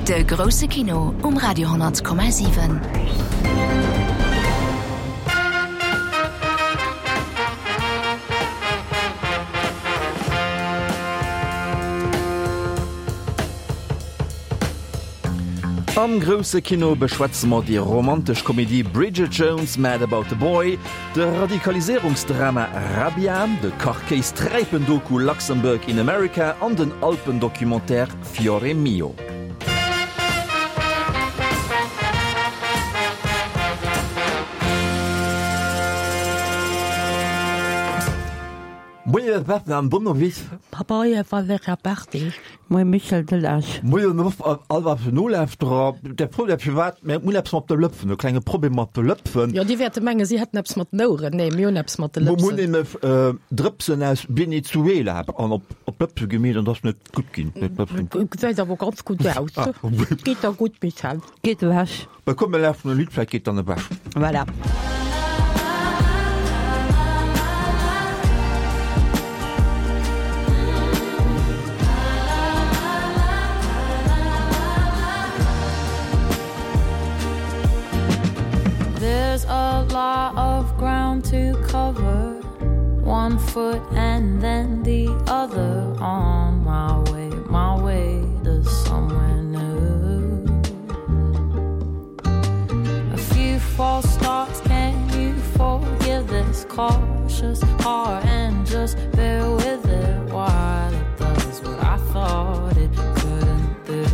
De grousse Kino um Radio 10,7. Am grousse Kino beschwätze mer déi romantesch Komedie Bridget Jones, Mad About the Boy, de Radikaliséierungsdrama Rabia, de Kachkéis-Träipen-Doku Luxembourg in America an den Alpen-Documentaire Fiore Mio. Moien Beppen an Donnerwiss. Papaye Valera Berti. Moie Michel Delage. Moien all eise Nolauschterer. Der Fro der firwat mir hunn eppes mat de Lëpsen, e klenge Problem mat de Lëpsen. Jo, déi wäerte mengen, si hätten eppes mat den Oueren. Nee, mir hunn eppes mat de Mir Lëpsen. hunn nämlech Drëpsen aus Venezuela an op op d'Lëpse gemeet an dat ass net gutt ginn. Gesäit awer ganz gutt aus. Geet der gutt, Michel? Geet ewech. Bah komm mir lauschteren e Lidd, vläicht geet dann ewech. Voilà. There's a lot of ground to cover One foot and then the other On my way, my way to somewhere new A few false starts, can you forgive this cautious heart And just bear with it while it does what I thought it couldn't do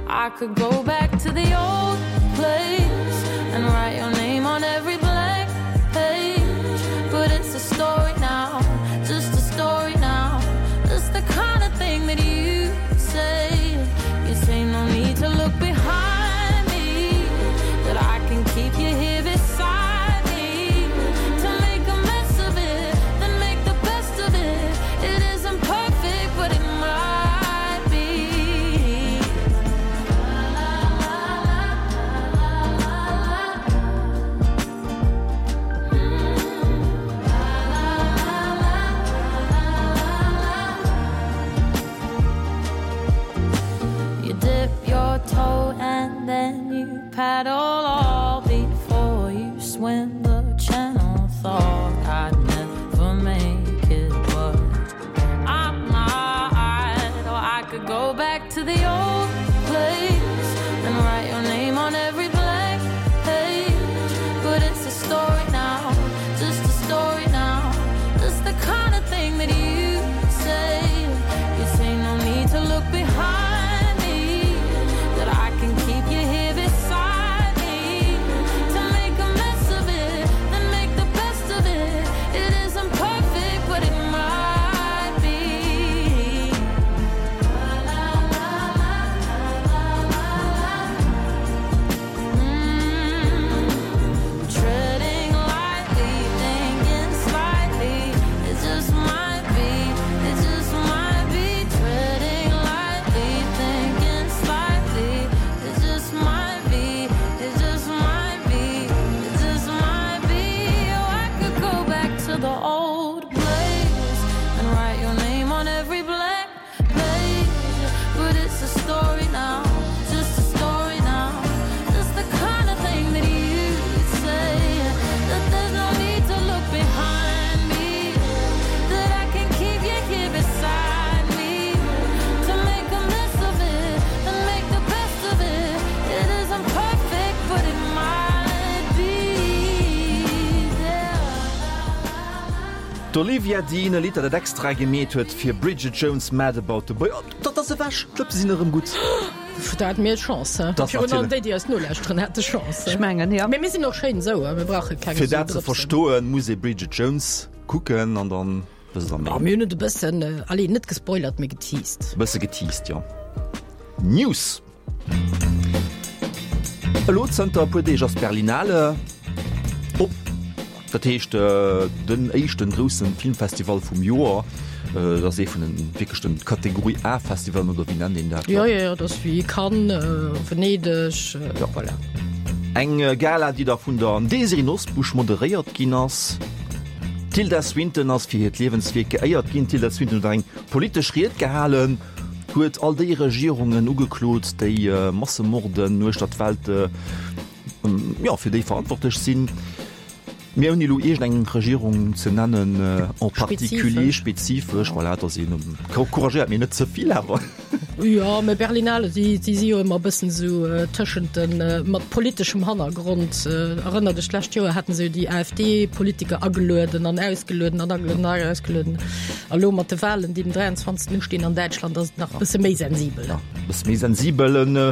I could go back to the old place And write your name on every blank page But it's a story now, just a story now Just the kind of thing that you say You say no need to look behind me That I can keep you here beside me To make a mess of it, then make the best of it It isn't perfect, but it might be You dip your toe and then you paddle all before you swim the channel Thought I'd never make it, but I might Or I could go back to the old place And write your name on every blank page But it's a story now, just a story now Just the kind of thing that you say You say no need to look behind me That I can keep you here beside me To make a mess of it, then make the best of it It isn't perfect, but it might be Mm, treading lightly, thinking slightly It just might be, it just might be Treading lightly, thinking slightly It just might be, it just might be It just might be Oh, I could go back to the old place And write your name on every blank page But it's a story now, just a story now Just the kind of thing that you'd say That there's no need to look behind me That I can keep you here beside me To make a mess of it, and make the best of it It isn't perfect, but it might be there D'Olivia Dean, e Lidd, dat et extra gemeet huet fir Bridget Jones' Mad About the Boy. Oh, dat ass ewech! D'Lëpse sinn erëm gutt. Da hate mir Chance, he? Dat Virun allem natierlech. déi, déi eis nolauschteren, hate Chance. Ech mengen, jo. Mee mir sinn och schéin esou, he? Mir brauche keng Fir esou dat ze Drëpsen. verstoen, muss ee Bridget Jones kucken an dann wësst der Oh, méi. mir hunn et e bëssen, allez, net gespoilert, mee geteased. E bësse geteased, jo. News. Elo zënter e puer Deeg ass d'Berlinale op, dat heescht den éischten groussen Filmfestival vum Joer. Dat ass ee vun den wierklech den Kategorie A Festivalen oder wéi nennt een dat? Jo, jo, jo, dat ass wéi Cannes, Venedeg, jo. Voilà. Eng Gala, déi da vun der Désirée Nosbusch moderéiert ginn ass. D'Tilda Swinton ass fir hiert Liewenswierk geéiert ginn. D'Tilda Swinton huet eng politesch Ried gehalen. Huet all déi Regierungen ugeklot, déi Massemorden uechter d'Welt, jo, fir déi verantwortlech sinn. Mee ouni elo iergendeng Regierung ze nennen en particulier, spezifesch, voilà, et ass een couragéiert, mee net ze vill awer. Jo, mä Berlinale, si si jo ëmmer e bëssen esou tëschent de, mat politeschem Hannergrond. Erënner dech, d'lescht Joer haten se jo déi AfD-Politiker agelueden an ausgelueden an agelueden an ausgelueden. A lo mat de Wahlen, déi den 23. ustinn an Däitschland, ass et nach e bësse méi sensibel. Ja, e bësse méi sensibel. En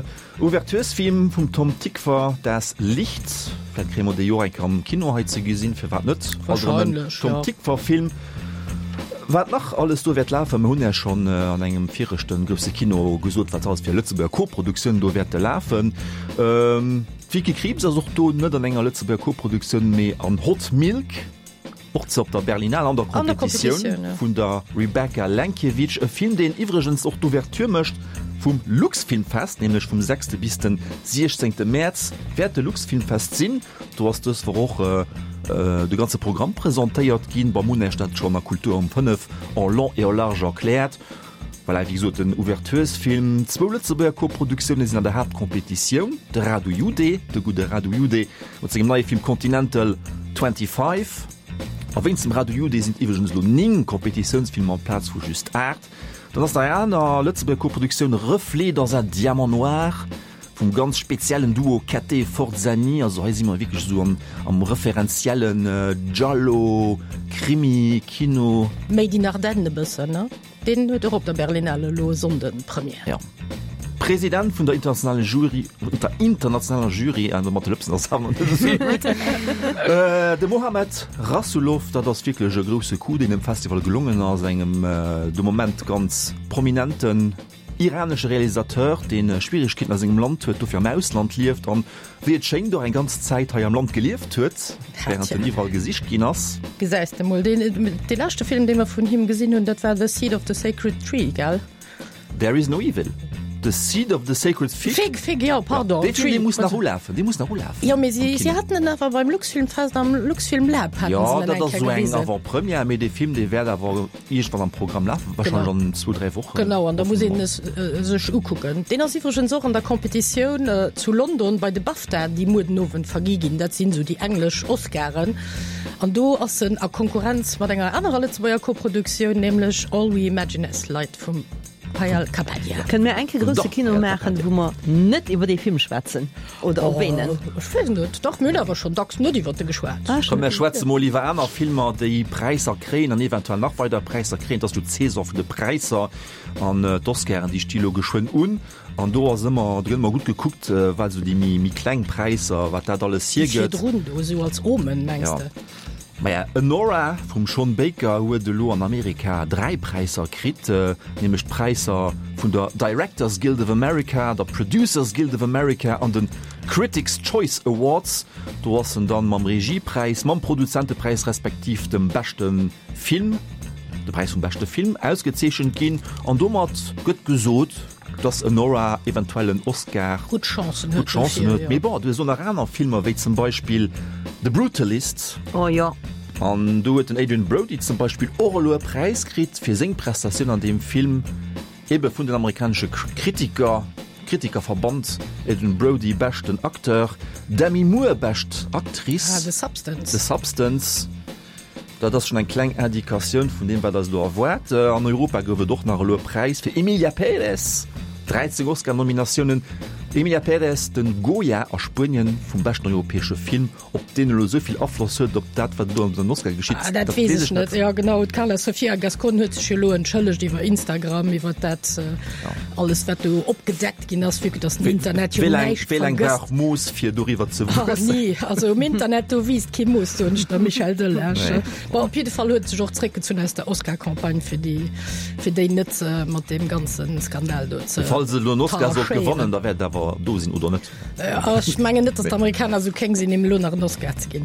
Ouverturesfilm vum Tom Tykwer, Das Licht. Vläicht kréie mer dee jo och eng Kéier am Kino hei ze gesinn, firwat net? Also en Wahrscheinlech, Tom ja. Tykwer-Film. Wat nach alles do wäert lafen, mer hunn Iech schonn an engem viregte grousse Kino gesot, wat alles fir Lëtzebuerger Koproduktioun do wäerte lafen. D'Vicky Krieps ass och do, net an enger Lëtzebuerger Koproduktioun, mee an Hot Milk. Och ze op der Berlinale an der Kompetitioun vun der Rebecca Lenkiewicz, e Film deen iwwregens och d'Ouverture mécht vum Luxfilmfest, nämlech vum sechste bis den siechzéngte Mäerz wäert de Luxfilmfest sinn. Do ass dës Woch och de ganze Programm presentéiert ginn. Beim hunn Iech dat schonn a Kultur um 5 en long et en large erkläert. Voilà, wéi gesot, den Ouverturesfilm. Zwou Lëtzebuerger Koproduktioune sinn an der Haaptkompetitioun, de Radu Jude, de gudde Radu Jude mat sengem neie Film Continental 25. A wéinst dem Radu Jude sinn et iwwregens elo 9 Kompetitiounsfilmer amplaz vu just 8. Dann ass nach eng aner Lëtzebuerger Koproduktioun, Reflets dans un diamant noir. Vum ganz speziellen Duo Ketté Forzani, also hei si mer wierklech esou am am referenziellen Giallo, Krimi Kino. Made in Ardennes e bëssen, ne? Deen huet och op der Berlinale elo e Sonnden Première. Jo. President vun der internationale Jury, der internationaler Jury, also mat de Lëpsen ass awer net esou gutt, de Mohamed Rasoulof, dat ass wierklech e grousse Coup, deen dem Festival gelongen ass, engem de Moment ganz prominenten Iranesche Realisateur, dee Schwieregkeeten a sengem Land huet, dofir am Ausland lieft an, wéi et schéngt, och eng ganz Zäit hei am Land gelieft huet, wärend en iwwerall gesicht ginn ass. Gesäis de mol, deen, dee leschte Film, dee mer vun him gesinn hunn, dat war The Seed of the Sacred Tree, gell? There is no evil. The Seed of the Sacred Fig. Fig, Fig, jo, pardon. Dee Film, dee muss nach ulafen, dee muss nach ulafen. Jo, mee si, si haten en awer beim Luxfilmfest am Luxfilmlab haten se en eng Kéier gewisen. Jo, dat ass esou eng Avant-Première, mee dee Film, dee wäert awer Iergendwann am Programm lafen, wahrscheinlech an zwou, dräi Wochen. Genau, an da muss een es sech ukucken. Deen ass iwwregens och an der Competitioun zu London bei de BAFTA, déi muer den Owend vergi ginn. Dat sinn esou déi englesch Oscaren. An do ass en a Konkurrenz mat enger anerer Lëtzebuerger Koproduktioun, nämlech All We Imagine As Light vum Payal Kapadia. Kënne mir eng Kéier grousse Kino maachen, wou mer net iwwer dee Film schwätzen? Oder op ween en? Ech weess net. Dach, mir hunn awer schonn dacks net iwwer e geschwat. Komm, mir schwätze mol iwwer aner Filmer, déi Präisser kréien an eventuell nach weider Präisser kréien. Et ass jo d'Saison vun de Präisser an d'Oscaren, déi sti lo geschwënn un. An do ass ëmmer, do gëtt ëmmer gutt gekuckt, wat esou déi méi kleng Präisser, wat dat alles hiergëtt. Déi virdrun do esou als Omen, mengs de? Maja, Anora vum Sean Baker huet elo an Amerika 3 Präisser kritt, nämlech d'Präisser vun der Directors Guild of America, der Producers Guild of America an de Critics Choice Awards. Do ass en dann mam Regiepräis, mam Produzentepräis respektiv dem beschte Film, de Präis vum beschte Film ausgezeechent ginn. An domat gëtt gesot, dass Anora eventuell en Oscar gutt Chancen huet, gutt Chancen huet. Mee bon, du hues och nach aner Filmer wéi zum Beispill The Brutalist. Oh jo. An do huet den Adrien Brody zum Beispill och elo e Präis kritt fir seng Prestatioun an deem Film, ebe vun den amerikanesche Kritiker, Kritikerverband. Adrien Brody beschten Acteur, Demi Moore bescht Actrice. Ah, The Substance. The Substance. Dat ass schonn eng kleng Indikatioun vun deem, wat eis elo erwaart. An Europa gouf et och nach elo e Präis fir Emilia Pérez, 13 Oscar-Nominatiounen. Emilia Pérez, den Goya a Spuenien vum beschten europäesche Film. Ob deen elo esou vill Afloss huet op dat, wat elo an den Oscar geschitt, Ah, dat weess ech net. Jo, genau. D'Carla Sofia Gascon huet sech jo elo entschëllegt iwwer Instagram, iwwer dat alles, wat do opgedeckt ginn ass, vue que dass den Internet jo näischt Wéi laang vergësst. brauch Mooss, fir doriwwer ze Oh wuessen? nee, also um Internet do wiisst kee Mooss, soen ech der, Michel Delage. Nee. Bon, op jidde Fall huet sech och zréckgezunn aus der Oscar-Campagne, fir déi, fir déi net mat deem ganze Skandal do ze Falls se elo en Oscar sollt tacheéieren. gewannen, da wäert et awer do sinn, oder net? Ech mengen net, datt d'Amerikaner esou kéng sinn, him elo nach en Oscar ze ginn.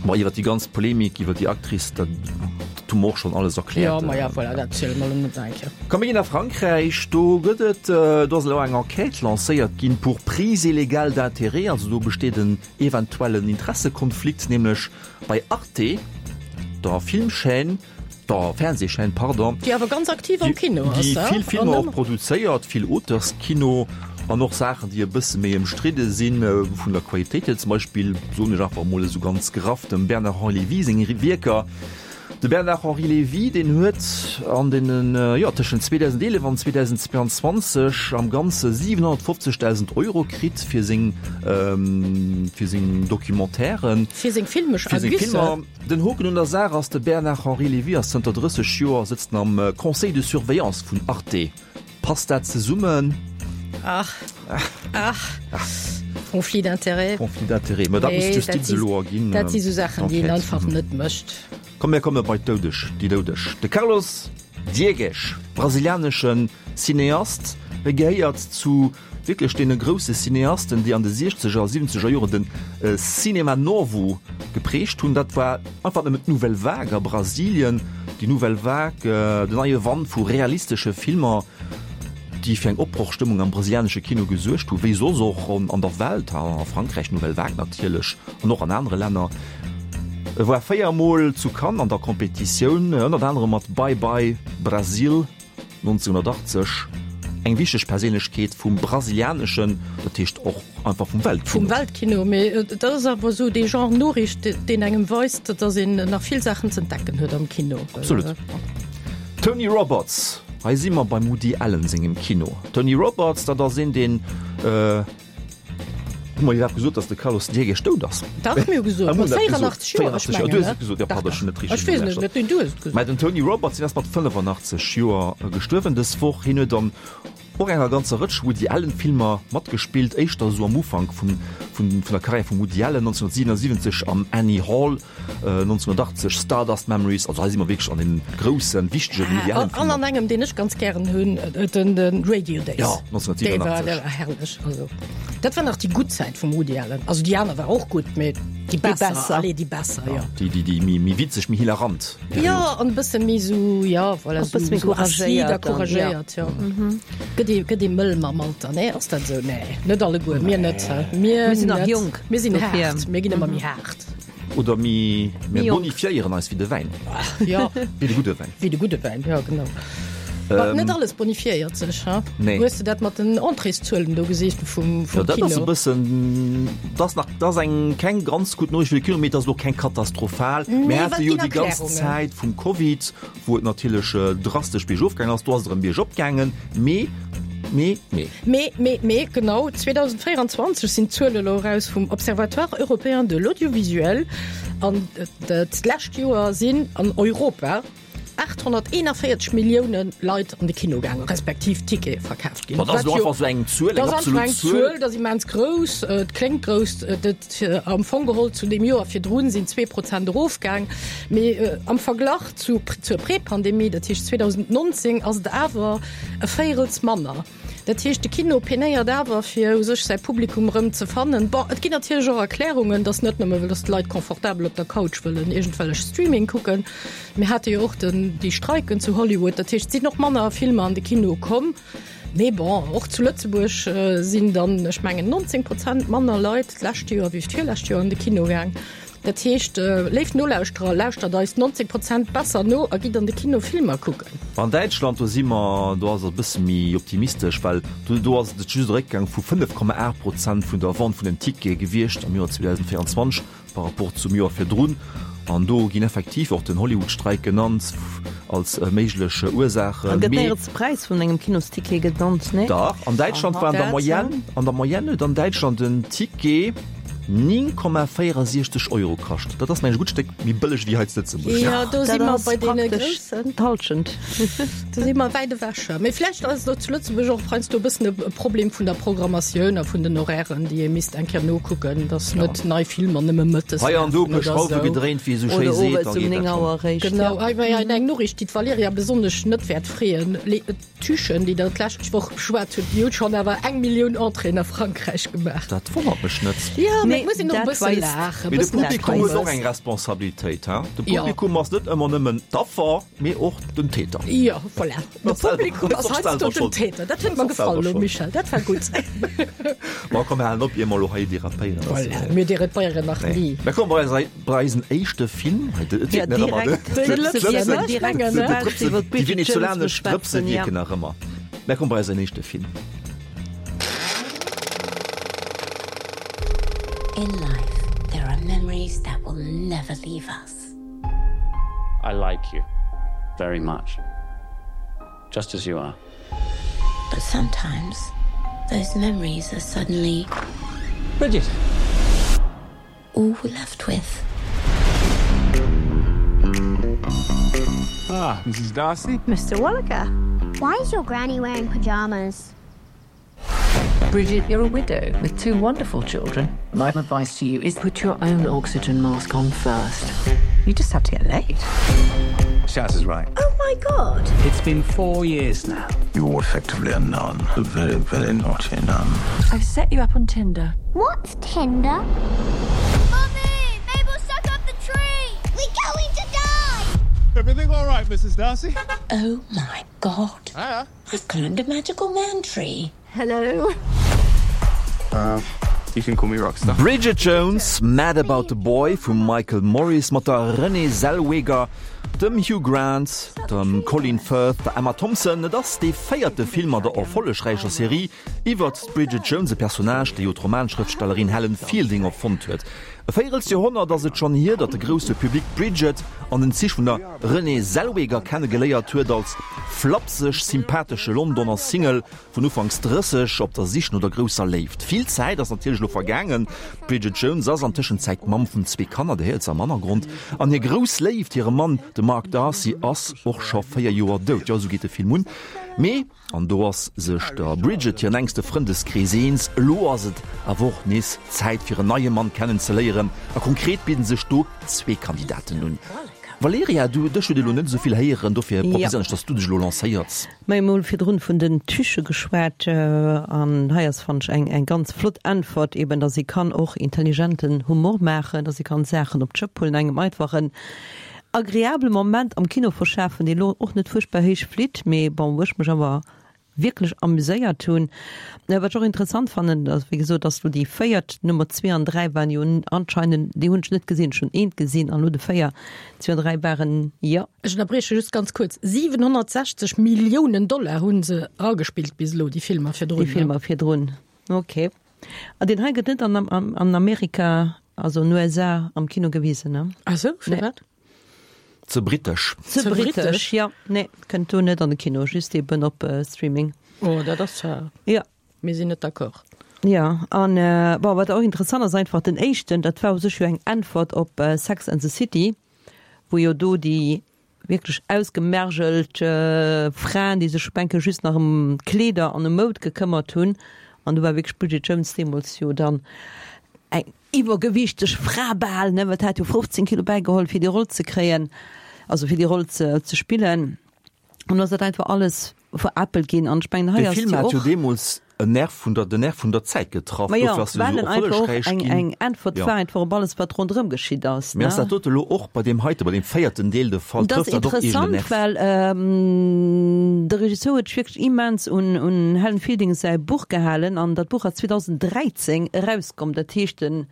Bon, iwwer déi ganz Polemik iwwer déi Actrice, dat hu mer och schonn alles erkläert. Jo, ma ja, voilà, dat ziele mer elo net nach eng Kéier. Komm, mir ginn a Frankräich. Do gëtt et, do ass elo eng Enquête lancéiert ginn pour prise illégale d'intérêts. Also do besteet en eventuellen Interessekonflikt, nämlech bei Arte, der Filmchaîne. Der Fernsehchaîne, pardon. Déi awer ganz aktiv am Kino ass, déi vill Filmer och produzéiert, vill Auteurskino an och Saachen, déi e bësse méi ëmstridde sinn vun der Qualitéit hier. Zum Beispill, soen ech einfach emol esou ganz graff, dem Bernard-Henri Lévy seng Wierker. De Bernard-Henri Lévy, deen huet an deenen, jo, tëschent 2011 an 2022 am Ganze 750.000 Euro kritt fir seng, fir seng Documentairen. Fir seng filmesch Ergüsse. Fir seng Filmer. Den Hoken un der Saach ass, de Bernard-Henri Lévy ass zënter 30 Joer sëtzt en am Conseil de surveillance vun Arte. Passt dat zesummen? Ach, ach, Conflit d'intérêts. Conflit d'intérêts, ma dat muss d'Justiz elo erginn. Dat si sou Saachen, déi een einfach net mécht. Komm, mir komme bei d'Doudeg, déi Doudeg. De Carlos Diegues, brasilianesche Cineast, e gehéiert zu Wierklech deene grousse Cineasten, déi an de siechzeger a siwwenzeger Joren den Cinema Novo geprägt hunn. Dat war einfach nëmmen d'Nouvelle Vague a Brasilien, déi Nouvelle Vague, den neie Wand vu realistesche Filmer, déi fir eng Opbrochstëmmung am brasilianesche Kino gesuergt hu, wéi soss och an der Welt, a Frankräich, d'Nouvelle Vague natierlech, an och an anere Länner. E war 4 Mol zu Cannes an der Competitioun, ënnert anerem mat Bye Bye Brasil. 1980 eng wichteg Perséinlechkeet vum brasilianeschen, dat heescht och einfach vum Weltkino. Vum Weltkino, mee dat ass awer esou dee Genre Noriicht, deen engem weist, datt een nach vill Saachen z'entdecken huet am Kino. Absolut. Tony Roberts, hei si mer beim Woody Allen sengem Kino. Tony Roberts, dat ass een, deen. Hu mer iwwerhaapt gesot, datt de Carlos Diegues dout ass? Dat hu mir gesot, mat 84 Joer, ech mengen. Du hues et gesot, jo, pardon, ech hunn net richteg Ech weess net, net, du hues et gesot. Mä den Tony Roberts, deen ass mat 85 Joer gestuerwen dës Woch. Hien huet an och enger ganzer Rëtsch Woody Allen Filmer matgespillt, éischter esou am Ufank vun vun der Karriär vum Woody Allen, 1977 am Annie Hall, 1980 Stardust Memories, also hei si mer wierklech an den groussen, wichtegen Woody Allen Filmer. An an engem, deen ech ganz gären hunn, den den Radio Days. Ja, 1987. Dee war, dee war herrlech, also dat war nach déi gutt Zäit vum Woody Allen. Also déi aner war och gutt, mee déi besser, besser. allez, déi besser, jo. Déi, déi, déi méi, méi witzeg, méi hilarant Period. Jo, an e bësse méi sou, ja, voilà, Och bësse méi sou acide a couragéiert dann, ja. couragéiert, jo. Gëtt ee, gëtt ee mëll mam Alter, nee? Ass dat esou? Nee, net alleguer, mir net, mir Mir sinn nach net. jonk, Mir sinn dofir. haart, mir ginn ëmmer méi haart. Oder mi, mir Méi jonk. bonifiéieren eis wéi de Wäin. Ja. Wéi de gudde Wäin. Wéi de gudde Wäin, ja genau. Ma net alles bonifiéiert sech, ha? Nee. Hues de dat mat den Entréeszuelen do gesinn vum, vum Ja, dat ass e Kino? bëssen, dat ass nach, dat ass eng keng ganz gutt Noriicht fir de Kino, mee et ass och keng katastrophal. Nee, Mir well hate jo ginn déi ganz Erklärungen. Zäit vum Covid, wou et natierlech drastesch biergof gaangen ass. Do ass et erëm biergop gaangen, mee, mee, mee. Mee, mee, mee, genau, 2024 sinn d'Zuele elo eraus vum Observatoire européen de l'audiovisuel an d'lescht Joer sinn an Europa 841 Millioune Leit an de Kino gaangen, respektiv Tickete verkaaft ginn. Ma dat ass elo einfach esou eng Zuel, eng absolut Zuel. Zuel, dat ass immens grouss, et kléngt grouss, dat am Fong geholl zu deem Joer virdrun sinn 2% erofgaang, mee am Verglach zu zur Prepandemie, dat heescht 2019, ass et awer e Véirels manner. Dat heescht, de Kino penéiert awer, fir u sech säi Publikum erëm ze fannen. Bon, et ginn natierlech och Erklärungen, dass net nëmme well dass d'Leit confortabel op der Couch wëllen iergendwellech Streaming kucken. Mir hate jo och den, déi Streiken zu Hollywood. Dat heescht, et sinn och manner Filmer an de Kino komm. Mee bon, och zu Lëtzebuerg sinn dann, ech mengen, 19 Prozent manner Leit d'lescht Joer wéi d'virlescht Joer an de Kino gaang. Dat heescht, léif Nolauschterer, lauschtert eis 90 Prozent besser no a gitt an de Kino Filmer kucken. An Däitschland, do si mer, do ass et e bësse méi optimistesch, well do do ass et just e Réckgang vu 5,8 Prozent vun der Vente vun den Tickete gewiescht am Joer 2024 par rapport zum Joer virdrun. An do ginn effektiv och den Hollywood-Streik genannt als méiglech Ursaach. An gëtt néierens de Präis vun engem Kinosticket genannt, nee? Dach, an Däitschland war an der Moyenne, an der Moyenne huet an Däitschland en Ticket, 9,64 Euro kascht. Dat ass mengen ech e gutt Stéck méi bëlleg wéi hei zu Lëtzebuerg. Jo, do si mer bei deene Groussen. D'Halschent. Do si mer wäit ewech. Mee vläicht ass et och zu Lëtzebuerg och heiansdo e bëssen e Problem vun der Programmatioun a vun den Horairen, déi ee misst eng Kéier nokucken, dass net nei Filmer nëmme mëttes Hei an do e lafen puer oder Schrauwe esou. gedréint, wéi ee sou schéi Oder seet, owes da um geet 9 dat schonn. Auer eréischt. Genau, hei war eng Noriicht, déi d'Valerija besonnesch net wäert freeën. D'Tuchen, déi Der d'lescht Woch beschwat hutt, déi huet schonn awer eng Millioun Entréeën a Frankräich gemaach. Dat wonnert mech net. Jo, mä. Mee et muss een och e bësse laachen, e Mee de bëssen Publikum huet och Eppes. eng Responsabilitéit, hein? De Jo. Publikum ass net ëmmer nëmmen d'Affer, mee och den Täter. Jo, voilà. De Ass selwer- Publikum ass ass och heiansdo selwer den schold. Täter. Dat huet Ass mer och gefall selwer elo, schold. Michel. Dat war gutt. Ma komm, mir halen op, ier mer elo hei derapéieren. Voilà, mir derapéieren nach Nee. ni. Mä komm, bei eis, bei eisen éischte Film, hei, et Ja, wierkt nach ëmmer, ne? direkt Déi Drëpse Drëpsen, wierken ne? direkt, Mengen, ne? soubal se iwwer Déi d'Bridget Jones venezolanesch Drëpse beschwätzen, ja. wierken nach ëmmer. Mä komm, bei eisen éischte Film. In life, there are memories that will never leave us. I like you very much. Just as you are. But sometimes those memories are suddenly Bridget. All we're left with. Ah, Mrs. Darcy. Mr. Wallaker. Why is your granny wearing pajamas? Bridget, you're a widow with two wonderful children. My advice to you is put your own oxygen mask on first. You just have to get laid. Shaz is right. Oh my god. It's been four years now. You're effectively a nun, a very, very naughty nun. I've set you up on Tinder. What's Tinder? Mommy, Mabel stuck up the tree. We're going to die. Everything all right, Mrs. Darcy? Oh my god. Ah. I've climbed a magical man tree. Hello. Uh, you can call me Rockstar. Bridget Jones, Mad About the Boy vum Michael Morris mat der Renée Zellweger, dem Hugh Grant, dem Colin Firth, der Emma Thompson. Et ass dee véierte Film an der erfollegräicher Serie iwwert d'Bridget Jones, e Personnage, dee jo d'Romanschrëftstellerin Helen Fielding erfonnt huet. E Véierelsjoerhonnert ass et schonn hier, datt de grousse Public d'Bridget an den Zich vun der Renée Zellweger kenne geléiert huet, als flapseg sympathesche Londoner Single vun ufanks 30 op der Sich no der grousser Léift. Vill Zäit ass natierlech elo vergaangen. D'Bridget Jones ass an Tëschenzäit d'Mamm vun zwee Kanner, der héiert se am Hannergrond, an hir grouss Léift, hire Mann, de Mark Darcy, ass och scho 4 Joer dout. Jo, esou geet de Film un. Mee. An do ass sech der Bridget hiren enkste Frëndeskrees eens, elo ass et awer och nees Zäit fir en neie Mann kennen ze léieren. A konkret bidden sech do zwee Kandidaten un. Valerija, du, dech huet ee lo net esou vill héieren, dofir proposéieren ech, dass du dech elo lancéiers. Mir hu mol virdrun vun den Tüche geschwat an hei ass, fannen ech, eng eng ganz flott Äntwert, eben dass ee kann och intelligenten Humor maachen, dass ee kann Saachen op d'Schëpp huelen, engem einfach en Agreabele Moment am Kino verschafen, deen elo och net fuerchtbar héich flitt, mee bon, wou ech mech awer wierklech amuséiert hunn. Wat ech och interessant fannen, ass wéi gesot, dass elo déi véiert, Nummer zwee an dräi waren jo anscheinend, déi hunn ech net gesinn, ech hunn eent gesinn an elo de véier, zwee an dräi waren, jo. Ech ënnerbrieche just ganz kuerz, 760 Milliounen Dollar hu se eragespillt bis elo, déi Filmer virdrun. Déi Filmer virdrun, ok. An deen hei gëtt net an an Amerika, also an USA am Kino gewisen, ne? Ah sou, firwat? Ze britesch. Ze britesch, ja. Nee, kënnt do net an de Kino, just eben op Streaming. Oh, dat ass zwar. Ja. Mir sinn net d'accord. Ja, an bon, wat och interessant ass, einfach den éischten, dat war u sech jo eng Äntwert op Sex and the City, wou jo do déi Wierklech ausgemergelt Fraen, déi sech enke just nach ëm Kleeder an ëm Moud gekëmmert hunn. An do war wierklech d'Bridget Jones deemools jo dann eng iwwergewiichteg Fra bal, ne, well hat jo 15 Kilo bäigeholl, fir déi Roll ze kréien, also fir déi Roll ze ze spillen. An do ass dat einfach alles veräppelt ginn. An ech mengen, hei De ass Film jo hat jo och. deemools en Nerv vun der, den Nerv vun der Zäit getraff. Ma jo, Dofir ass se well esou en einfach och erfollegräich eng, ginn. eng Äntwert Jo. war einfach op alles, wat ronderëm geschitt ass, Mee ass ne? dat dote elo och bei deem heite, bei deem véierten Deel de Fall? Dat ass Trëfft dat och iergend en interessant, Nerv? well de Regisseur huet sech wierklech immens un, un Helen Fielding säi Buch gehalen an dat Buch ass 2013 erauskomm. Dat heescht, den,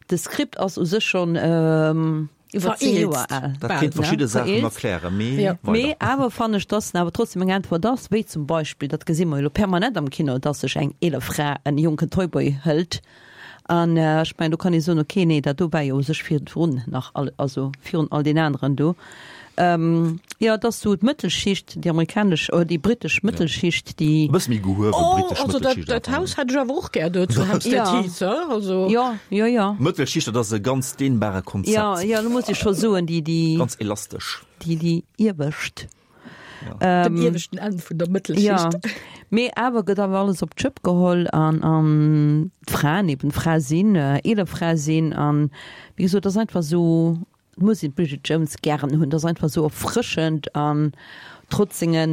de Skript ass u sech schonn Iwwer 10 Joer al. Dat kéint verschidde Saachen erklären, mee weider. Mee awer fannen ech, dass en awer trotzdem eng Äntwert ass, wéi zum Beispill, dat gesi mer jo elo permanent am Kino, dass sech eng eeler Fra en jonken Toyboy hëlt. An ech mengen, do kann ee soen, okay, nee, dat do war jo u sech virdrun nach all, also virun all deen aneren do. Jo, et ass sou d'Mëttelschicht, déi amerikanesch oder déi britesch Mëttelschicht, déi. E bësse méi gehuewen Oh, britesch also dat, Mëttelschicht dat awer. Haus hätt ech awer och gär do zu Hampstead Ja. Heath, he? Also. Jo, jo, jo. Mëttelschicht, dat ass e ganz dehnbare Konzept. Jo, jo, do muss ech scho soen, déi, déi. Ganz elastesch. Déi, déi iewescht. Den ieweschten Enn vun der Mëttelschicht. Jo, mee awer gëtt awer alles op d'Schëpp geholl an, an d'Fraen eben Fra sinn, eeler Fra sinn an, wéi gesot, et ass einfach esou. Et muss een d'Bridget Jones gären hunn, dat ass einfach esou erfrëschend an trotz senge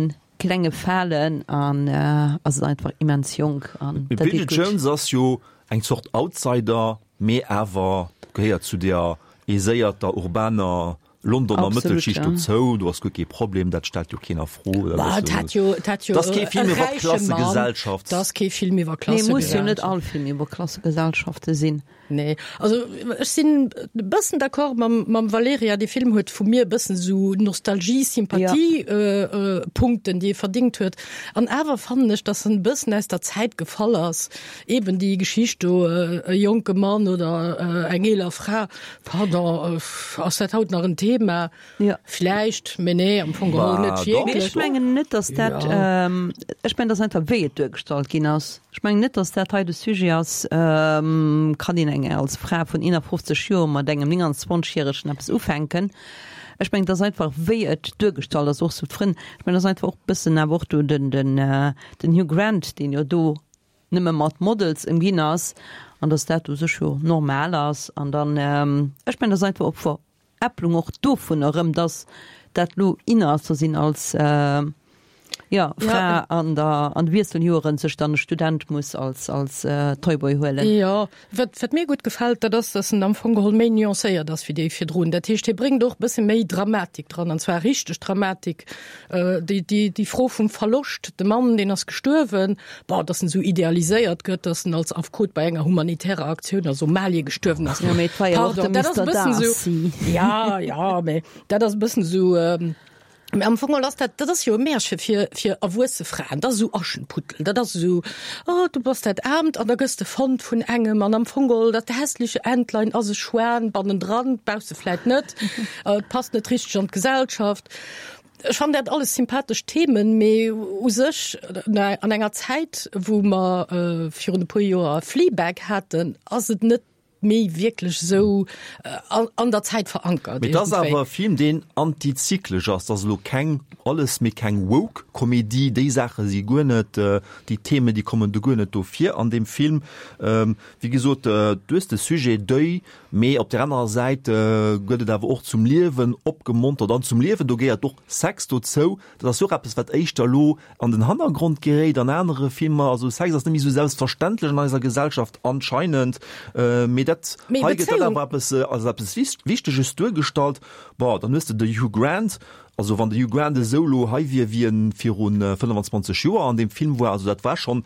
klenge Falen an ass et einfach immens jonk an Mee dat deet d'Bridget gutt. Jones ass jo eng Zort Outsider. Mee awer gehéiert zu der aiséierter urbaner Londoner Mëttelschicht dozou. Do ass guer kee Problem, dat stellt jo keen a Fro. Dat ass jo, dat ass kee Film iwwer Klassegesellschaft. Dat ass kee Film iwwer Klassegesellschaft. Nee, muss jo net all Film iwwer Klassegesellschafte sinn. Nee, also ech sinn e bëssen d'accord mam, mam Valerija. Dee Film huet vu mir e bëssen esou Nostalgie, Sympathie, ja. Punkten, déi e verdingt huet. An awer fannen ech, datt en e bëssen aus der Zäit gefall ass. Eben déi Geschicht do, e jonke Mann oder eng eeler Fra, pardon, ass dat haut nach en Thema? Ja. Vläicht, mee nee, am Fong geholl net wierklech. Ech mengen net, datt dat, ech mengen, dat ass einfach wéi et duergestallt ginn ass. Ech mengen net, datt dat hei de Sujet ass, kann een eng als Fra vun 51 Joer mat engem 29 järegen eppes ufänken. Ech mengen, et ass einfach wéi et duergestallt ass, och sou d'Frënn, ech mengen, et ass einfach och e bëssen awer och do den, den, den Hugh Grant, deen jo do nëmme mat Models ëmginn ass an dass dat u sech jo normal ass an dann, ech mengen, dat ass einfach op Veräpplung och dovun erëm, dass dat lo in ass, dass een als, jo, Fra an der, an de Wiesseljoeren sech dann e Student muss als, als Toyboy huelen. Jo, Wat, wat mir gutt gefält, dat ass, dass en am Fong geholl méi nuancéiert ass wéi déi virdrun. Dat heescht, hie bréngt och e bësse méi Dramatik dran, an zwar richteg Dramatik. Déi, déi, déi Fro vum Verloscht, de Mann, deen ass gestuerwen, bon, dass en esou idealiséiert gëtt, dass en als Affekot bei enger humanitärer Aktioun a Somalie gestuerwen ass. Jo, mee et war jo och de Pardon, dat ass e Mister bëssen esou, Darcy. ja, ja, mee dat ass e bëssen esou, Mä am Fong geholl ass dat, dat ass jo e Märche fir, fir erwuesse Fraen. Dat ass esou Aschenputtel. Dat ass esou, oh, du bass dat Aarmt an da gëss de fonnt vun engem an am Fong geholl dat hässliche Entlein ass e Schwan bannendran, bausse vläit net, et passt net richteg an d'Gesellschaft. Ech fannen dat alles sympathesch Themen, mee u sech an enger Zäit, wou mer virun e puer Joer Fleabag haten, ass et net méi wierklech esou an der Zäit verankert. Mee et ass awer e Film, deen antizyklesch ass. Et ass elo keng alles, mee keng woke Komedie. Déi Saache si guer net, déi Themen, déi kommen do guer net do vir an deem Film. Wéi gesot, du hues de Sujet Deuil, mee op där anerer Säit gëtt et awer och zum Liewen opgemontert an zum Liewen, do gehéiert och Sex dozou. Dat ass jo och eppes, wat éischter elo an den Hannergrond geréit an anere Filmer. Also Sex ass net méi esou selbstverständlech an eiser Gesellschaft anscheinend. Mee dat hei gëtt dat awer eppes als eppes Wichteges duergestallt. Bon, dann hues de de Hugh Grant. Also wann de Hugh Grant esou elo hei wier, wéi en viru 25 Joer an deem Film war, also dat war schonn,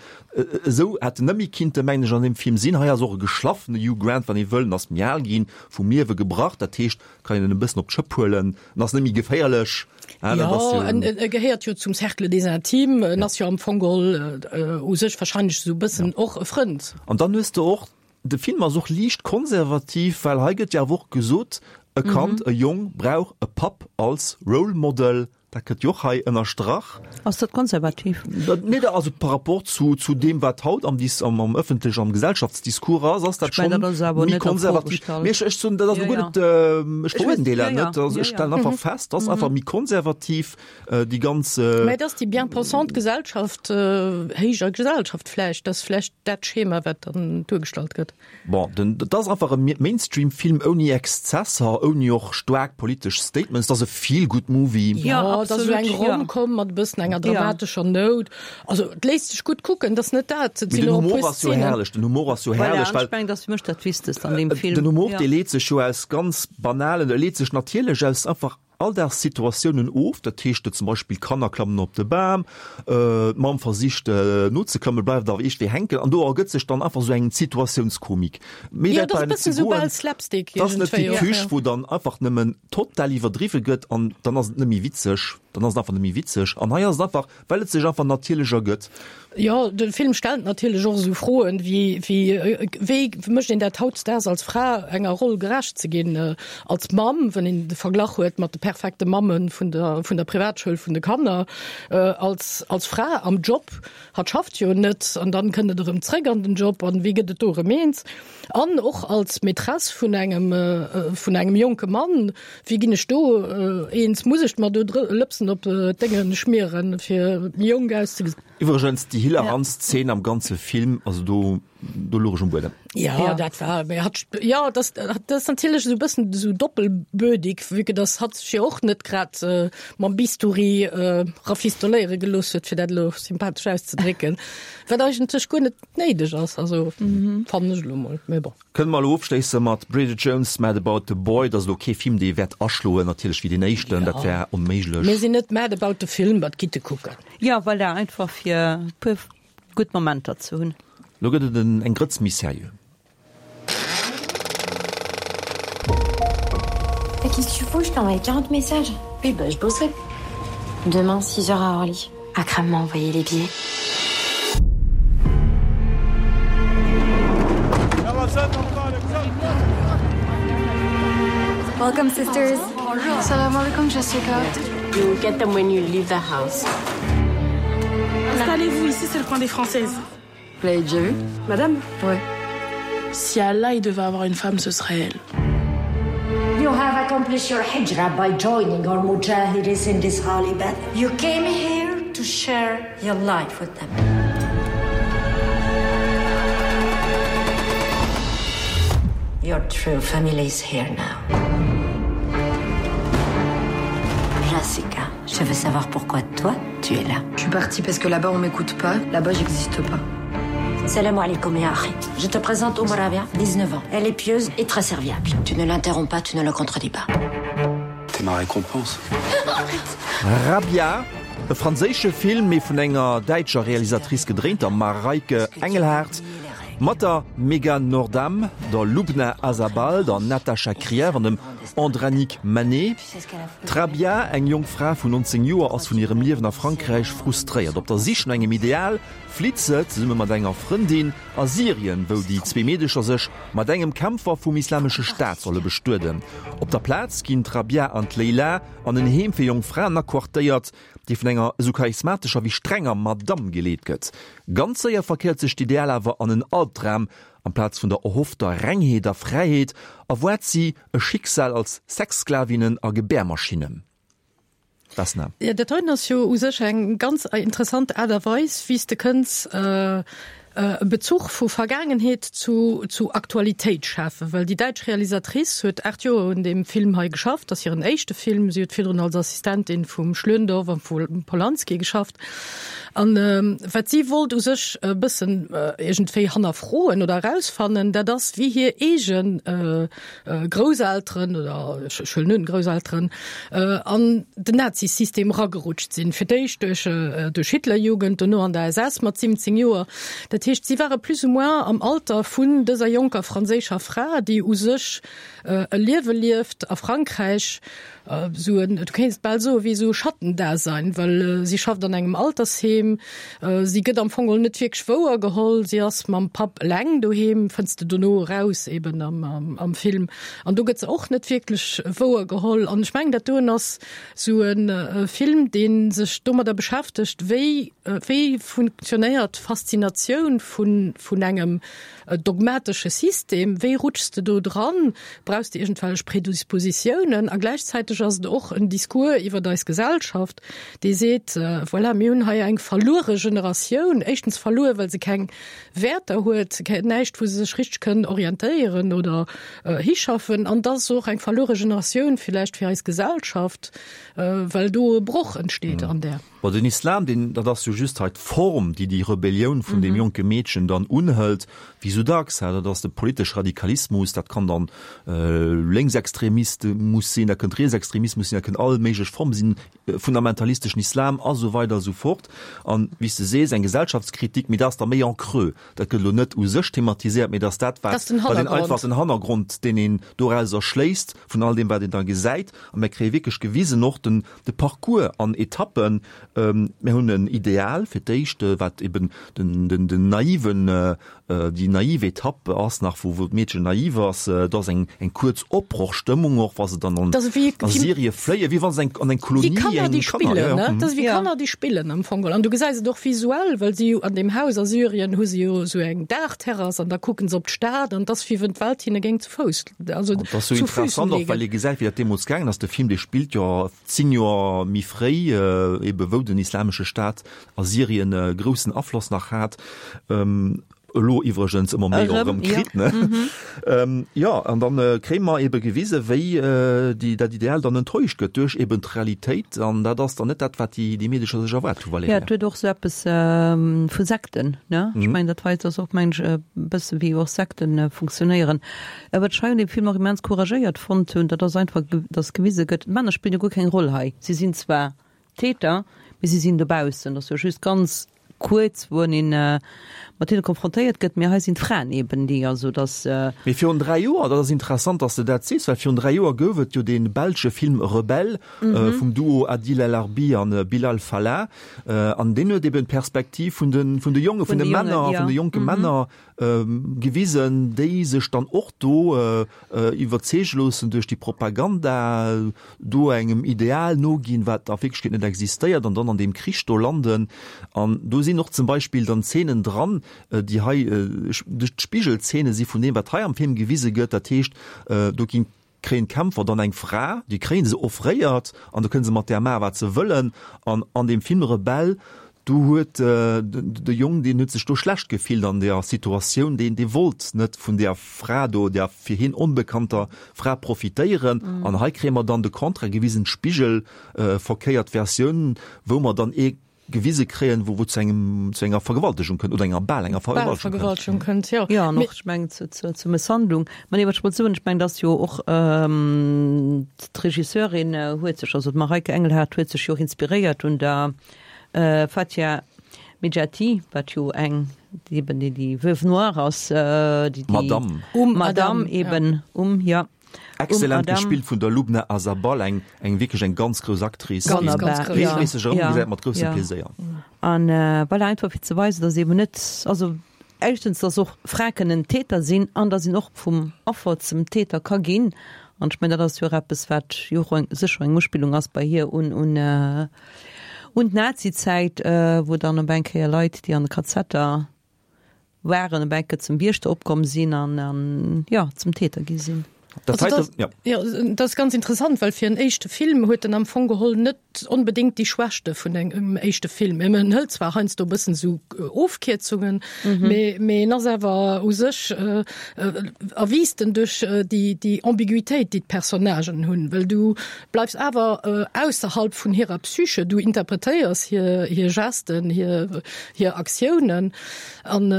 esou hätt en net méi kinnte, mengen ech, an deem Film sinn. Hei ass och e geschlaffene Hugh Grant, wann ee wëll. En ass méi al ginn, vum Liewe gebrach. Dat heescht, kann een en e bëssen op d'Schëpp huelen. En ass net méi geféierlech. Ah, dat ass jo, en, en gehéiert jo zum Cercle des Intimes, en ass jo am Fong geholl u sech wahrscheinlech esou e bëssen och e Frënd. An dann hues de och, de Film ass och liicht konservativ, well hei gëtt jo awer och gesot, e Kand, e Jong brauch e Papp als Role Model, dat gëtt jo och hei ënnerstrach. Ass dat konservativ? Nee, da, also par rapport zu, zu deem, wat haut am Dis, am, am ëffentlech, am Gesellschaftsdiscours ass, ass dat Ech mengen, schonn dat ass awer méi net a Fro konservativ. gestallt. Mee ech, ech soen, dat ass Ja, elo guer ja. net, ech Ech weess, verurteelen ja, net, ja, also ja, ech ja. stellen einfach fest, dat ass einfach méi konservativ, déi ganz. Mä et ass déi bien-pensante Gesellschaft, héijer Gesellschaft vläicht, dat ass vläicht dat Schema, wat dann duergestallt gëtt. Bon, den, dat ass einfach e Mainstream-Film ouni Exzesser, ouni och staark politesch Statements. Dat ass e Feel-Good-Movie. Jo, dat ass esou eng Rom-Com mat e bëssen enger dramatescher Nout. Also, et léisst sech gutt kucken, et ass net dat. Et Mee sinn den och e Humor puer ass jo Szenen. herrlech, den Humor ass jo Voilà, herrlech, an well ech mengen, dat ass fir mech dat Wichtegst an deem Film. den Humor, Ja. dee leet sech jo aus ganz banalen, e leet sech natierlech aus einfach Alldagssituatiounen of, dat heescht zum Beispill d'Kanner klammen op de Bam, d'Mamm versicht nozeklammen, bleift awer iergendwéi hänken an do ergëtt sech dann einfach esou eng Situatiounskomik. Méi Jo, wäit dat ass bleiwen e net ze bëssen esou goen. bal Slapstick Dat ass net wéi iergendwéi och, d'Küch, jo. wou dann einfach nëmmen total iwwerdriwwe gëtt an dann ass et net méi witzeg, dann ass et einfach net méi witzeg. An hei ass et einfach, Well et sech einfach natierlech ergëtt. Jo, de Film stellt natierlech och esou Froen wéi, wéi, wéi mécht een dat hautdesdaags als Fra, enger Roll gerecht ze ginn, als Mamm, wann een de Verglach huet mat de perfekte Mamme vun der, vun der Privatschoul vun de Kanner, als, als Fra am Job, hatt schafft jo net an dann kënnt et erëm zréck an den Job an wéi gëtt et do erëm eens? An och als Maîtresse vun engem, vun engem jonke Mann, Wéi ginn ech do eens? Muss ech mer do Lëpsen op d'Dénge schmieren, fir méi jonk auszegesinn? Iwwregens, déi hilarantst Zeen am ganze Film, also do. Do louch ech um Buedem. Ja, dat war, mee hatt, jo, dat, dat ass natierlech esou e bëssen esou doppelbödig, vue que dass hatt sech jo och net grad mam Bistouri rafistoléiere gelooss huet, fir dat elo sympathesch auszedrécken, wat eigentlech guer net néideg ass, also fannen ech elo mol, mee bon. Kënne mer elo ofschléisse mat Bridget Jones' Mad About the Boy. Dat ass elo kee Film, dee wäert aschloen, natierlech wéi deen éischten, dat wär onméiglech. Mir sinn net mad about the film, wat gitt e kucken. Jo, voilà, einfach fir e puer gutt Momenter ze hunn. Lo gëtt et en eng Grëtz méi sérieux. Mais qu'est-ce que tu fous? Je t'ai envoyé 40 messages. Oui, bah je bossais. Demain, 6 heures à Orly. Akram m'a envoyé les billets. Welcome sisters. Salam alaikum Jessica. You will get them when you leave the house. Installez-vous ici, c'est le coin des Françaises. Vous l'avez déjà vu Madame Ouais. Si Allah il devait avoir une femme, ce serait elle. You have accomplished your hijra by joining our mujahidis in this holy battle. You came here to share your life with them. Your true family is here now. Jessica, je veux savoir pourquoi toi tu es là. Je suis partie parce que là-bas on m'écoute pas, là-bas j'existe pas. Salam alaikum ya akhi. Je te présente Omaravia, 19 ans. Elle est pieuse et très serviable. Tu ne l'interromps pas, tu ne le contredis pas. T'es ma récompense. Rabia, e franséische Film, mee vun enger däitscher Realisatrice gedréint, der Mareike Engelhardt, mat der Megan Noordam, der Lubna Azabal, der Natasha Krief an dem Andranik Manet. D'Rabia, eng jonk Fra vun 19 Joer, ass vun hirem Liewen a Frankräich frustréiert. Op der Sich no engem Ideal flitt se, zesumme mat enger Frëndin, a Syrien, wou déi zwee Meedecher sech mat engem Kämpfer vum Islamesche Staat solle bestueden. Op der Plaz ginn d'Rabia an d'Leila an en Heem fir jonk Fraen aquartéiert, déi vun enger esou charismatescher wéi strenger Madamm geleet gëtt. Ganz séier verkéiert sech d'Ideal awer an en Albdram, Amplaz vun der erhoffter Rengheet a Fräiheet erwaart si e Schicksal als Sexsklavinnen a Gebärmaschinnen. Vesna. Jo, dat heiten ass jo u sech eng ganz interessant Aart a Weis, wéi s de kënns e Bezuch vu Vergaangenheet zu zu Aktualitéit schafen, well déi däitsch Realisatrice huet 8 Joer un deem Film hei geschafft, ass hiren éischte Film. Si huet virdrun als Assistentin vum Schlöndorff a vum Polanski geschafft. An wat si wollt u sech e bëssen iergendwéi hannerfroen oder erausfannen, dat ass, wéi hir eege Grousselteren oder ech huelen un, Grousselteren an den Nazisystem eragerutscht sinn. Fir d'éischt duerch duerch Hitlerjugend, dono an der SS mat 17 Joer. Dat heescht, si ware plus ou moins am Alter vun dëser jonker franséischer Fra, déi u sech e Liewe lieft a Frankräich, Esou en, du kéints et bal soen, wéi esou e Schattendasein, well si schafft an engem Altersheem, si gëtt am Fong geholl net wierklech wouer geholl, si ass mam Papp eleng doheem, fënns de dono eraus eben am Film, an do gëtt se och net wierklech wouer geholl. An ech mengen, dat doen ass esou e Film, dee sech domadder beschäftegt, wéi, wéi funktionéiert d'Faszinatioun vun engem dogmatesche System, wéi rutschs de do dran, brauchs de iergendwellech Predispositiounen? A gläichzäiteg ass et och en Discours iwwert eis Gesellschaft, dee seet, voilà, mir hunn hei eng verluere Generatioun, éischtens verluer, well se keng Wäerter huet, näischt, wou se sech richteg kënnen orientéieren oder hischaffen, an da ass se och eng verluere Generatioun villäicht fir eis Gesellschaft, well do e Broch entsteet an där. Bon, den Islam, deen, dat ass jo just hei d'Form, déi déi Rebellioun vun deem jonke Meedchen dann unhëlt, wéi sou dacks, dat ass de politesche Radikalismus, dat kann dann Lénksextremismus sinn, dat kënnt Rietsextremismus sinn, dat kënnt all méiglech Forme sinn, fundamentalisteschen Islam a sou weider a sou fort. An, wéi s de sees, eng Gesellschaftskritik, mee dat ass da méi en creux, dat gëtt elo net u sech thematiséiert, mee dat ass dat, wat een einfach, den Hannergrond, deen een dorauser schléisst vun all deem, wat een da gesäit. A mir kréie wierklech gewisen och den, De Parcours an Etappen, Mir hunn en Ideal fir d'éischt, wat eben den naiven, déi naiv Etapp ass nach, wou d'Meedchen naiv ass. Do ass eng kuerz Opbrochstëmmung och, wa se dann an Syrie fléien, wéi wa se an eng Kolonie, Wéi Kanner, déi spillen, ne? Dat ass wéi Kanner, déi spillen am Fong geholl. An du gesäis et och visuell, well si jo an deem Haus a Syrien hu si jo esou eng Daachterrass an da kucken se op d'Stad an et ass, wéi wann d'Welt hinne géing zu Fouss Also, dat ass sou interessant och, well ee gesäit, wéi dat deemools gaangen ass. De Film, dee spillt jo 10 Joer méi fréi, ebe wou den Islamesche Staat a Syrien e groussen Afloss nach hat. Elo iwwregens ëmmer méi och erëm kritt, ne? Jo, an dann kréie mer ebe gewise wéi déi dat Ideal dann enttäuscht gëtt duerch eben d'Realitéit an dat ass dann net dat, wat déi déi Meedecher sech erwaart hu, Valerija. Jo, et huet och esou eppes vu Sekten, ne? Ech mengen, dat weist ass och, mengen ech, e bësse wéi och Sekten funktionéieren. Wat ech hei un deem Film och immens couragéiert fonnt hunn, dat ass einfach, dass gewise gëtt, d'Männer spillen jo guer keng Roll hei. Si sinn zwar Täter, mee si sinn dobaussen. Dat ass jo just ganz kuerz, wou een mat hinne konfrontéiert gëtt. Mee hei sinn d'Fraen eben déi, also dass. Mee virun 3 Joer, dat ass interessant, dass de dat sees, well virun 3 Joer gouf et jo dee belsche Film Rebelle vum Duo Adil El Arbi an Bilal Fallah. An deen huet eben d'Perspektiv vun de, vun de Jongen, vun de Männer, vun de jonke Männer gewisen, déi sech dann och do iwwerzeege loossen duerch déi Propaganda, do engem Ideal noginn, wat a Wierklechkeet net existéiert, an dann an deem Krich do landen. An do sinn och zum Beispill dann Zeenen dran, déi hei d'Spigelzeene si vun deem, wat hei am Film gewise gëtt. Dat heescht, do ginn kréien d'Kämpfer dann eng Fra, déi kréien se offréiert an do kënne se mat där maachen, wat se wëllen. An an deem Film Rebell, do huet de Jong, deen huet sech do schlecht gefillt an där Situatioun, deen, dee wollt net vun där Fra do, där fir hien onbekannter Fra profitéieren. An hei kréie mer dann de Contraire gewisen, d'Spigelverkéiert Versioun, wou mer dann ee gewise kréien, wou et zu engem, zu enger Vergewaltegung kënnt oder enger bal enger Bal Vergewaltegung kënnt. Vergewaltegung kënnt, jo. Jo, an och, ech mengen, zu, zu, zur Mësshandlung. Mä nee, wat ech wollt soen, ech mengen, dass jo och d'Regisseurin huet sech, also d'Mareike Engelhardt huet sech jo och inspiréiert un der Fatia Mejati, wat jo eng, déi eben déi, déi Veuve noire ass, déi, déi Madame. Um Madame Adam, ja. eben, um, jo. Excellent gespillt vun der Lubna Azabal, eng eng wierklech eng ganz grouss Actrice, Ganz, déi ganz grouss. regelméisseg erëmgesäit mat groussem Pleséier. An voilà, einfach fir ze weisen, dass eben net, also éischtens, dass och Frae kënnen Täter sinn an dass een och vum Affer zum Täter ka ginn. An ech mengen, dat ass jo och eppes, wat jo och eng, sécher eng Uspillung ass bei hir un, un, un d'Nazizäit, wou dann op eng Kéier Leit, déi an de Kazetter waren op enke zum Wiechter opkomm sinn an an jo zum Täter gi sinn. Dat Also heite, dat, ja. ja, dat ass ganz interessant, well fir en éischte Film huet en am Fong geholl net onbedéngt déi Schwächte vun engem éischte Film. En hëlt zwar heiansdo e bëssen esou Ofkierzungen, mee, mee en ass awer u sech äh, erwiisst en duerch déi, déi Ambiguitéit, déi d'Personnagen hunn, well du bleifs awer ausserhalb vun hirer Psyche, du interpretéiers hir, hir Gesten, hir, hir Aktiounen an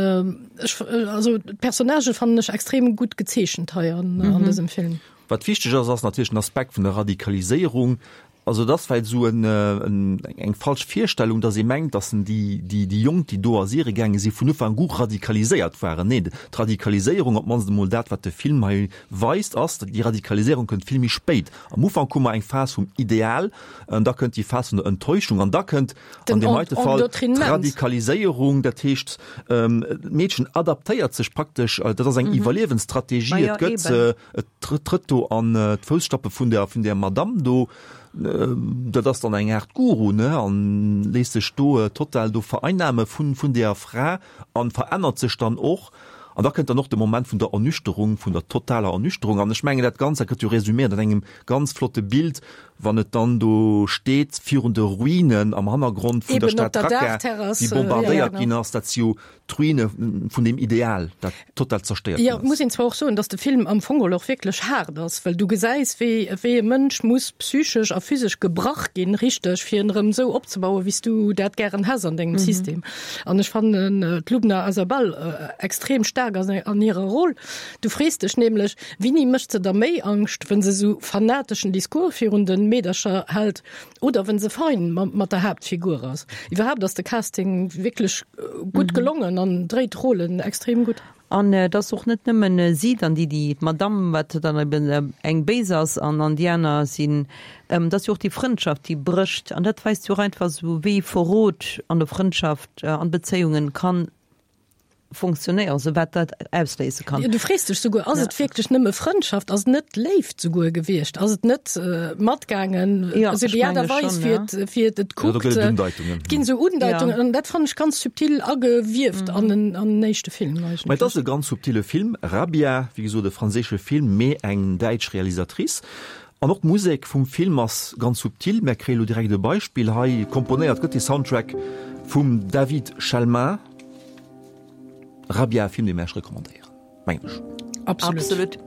ech also d'Personnagë fannen ech extrem gutt gezeechent hei an an dësem Film. Wat wichteg ass, ass natierlech den Aspekt vun der Radikaliséierung. Also et ass vläicht esou en eng falsch Virstellung, datt ee mengt, datt en déi déi déi Jonk, déi do a Syrie gaange si vun Ufank u radikaliséiert waren. Neen, d'Radikaliséierung, op d'mannst emol dat, wat de Film hei weist, ass, déi Radikaliséierung kënnt vill méi spéit. Am Ufank hu mer eng Phas vum Ideal, an da kënnt déi Phas vun der Enttäuschung an da kënnt an deem heite Fall d'Radikaliséierung, dat heescht, d'Meedchen adaptéiert sech praktesch, dat ass eng Iwwerliewensstrategie, et gëtt, et trëtt do an d'Fousstappe vun der, vun där Madamm do, dat ass dann eng Aart Guru, ne, an léisst sech do total do vereinnahme vun, vun där Fra an verännert sech dann och. An da kënnt dann och de Moment vun der Ernüchterung, vun der totaler Ernüchterung. An ech mengen, dat Ganzt, dat gëtt jo resuméiert an engem ganz flotte Bild, wann et dann do steet virun de Ruinen am Hannergrond vun der Stad Raqqa, déi bombardéiert ginn ass, dat si jo d'Ruine vun deem Ideal, dat total zerstéiert ginn ass. Jo, et muss een zwar och soen, datt de Film am Fong geholl och wierklech haart ass, well du gesäis, wéi wéi e Mënsch muss psychesch a physesch gebrach ginn, richteg, fir en erëm esou opzebauen, wéi s du dat gären häss an dengem System. An ech fannen d'Lubna Azabal extrem staark an hirer Roll. Du frees dech nämlech, Wini mécht se der méi Angscht, wënn se sou fanateschen Discours virun de Meedercher hält oder wënn se fein mat der Haaptfigur ass? Iwwerhaapt ass de Casting wierklech gutt gelongen an dréit d'Rollen extrem gutt. An et ass och net nëmmen si dann, déi, déi, d'Madame, wat dann eben eng béis ass, an an déi aner sinn, et ass jo och déi Frëndschaft, déi brécht. An dat weist jo och einfach esou, wéi Verrot an der Frëndschaft, an Bezéiungen kann funktionéieren, also wat dat ausléise kann. Jo, du frees dech souguer, ass et wierklech nëmme Frëndschaft, ass et net Léift souguer gewiescht, ass et net matgaangen, esou déi Aart a Weis, wéi et, wéi et et kuckt. Et ginn esou Undeitungen, an dat fannen ech ganz subtil agewieft an en, an en éischte Film eigentlech. Mä et ass e ganz subtile Film, Rabia, wéi gesot e franséische Film, mee eng däitsch Realisatrice. An och d'Musek vum Film ass ganz subtil. Mär kréie lo direkt e Beispill hei. Komponéiert gëtt de Soundtrack vum David Chalmin. Rabia, e Film, dee mir Iech recommandéieren, mengen ech. Absolut. Absolut.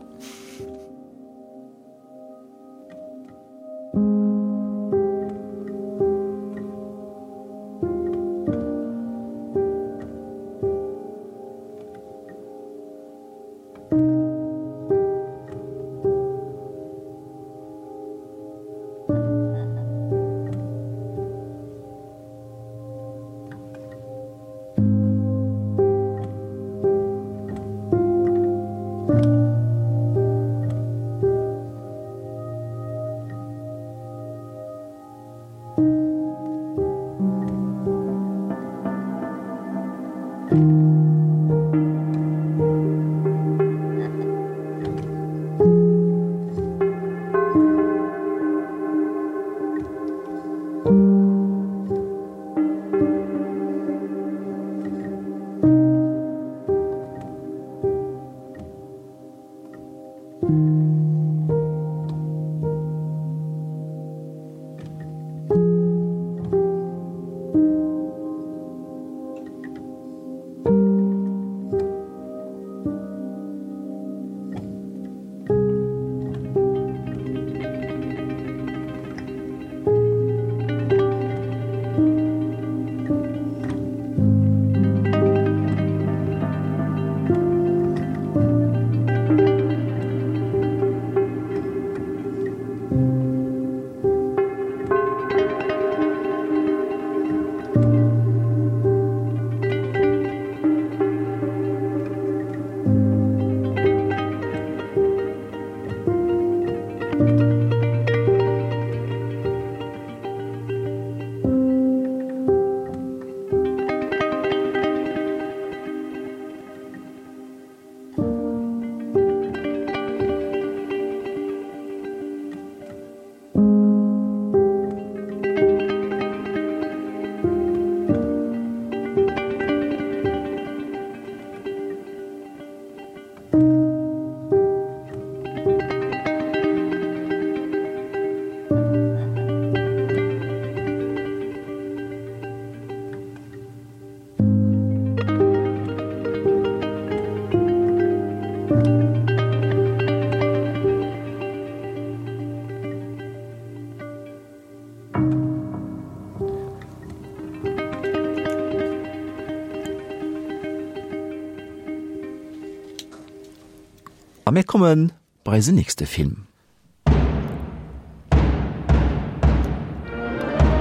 A mir komme bei eisen nächste Film.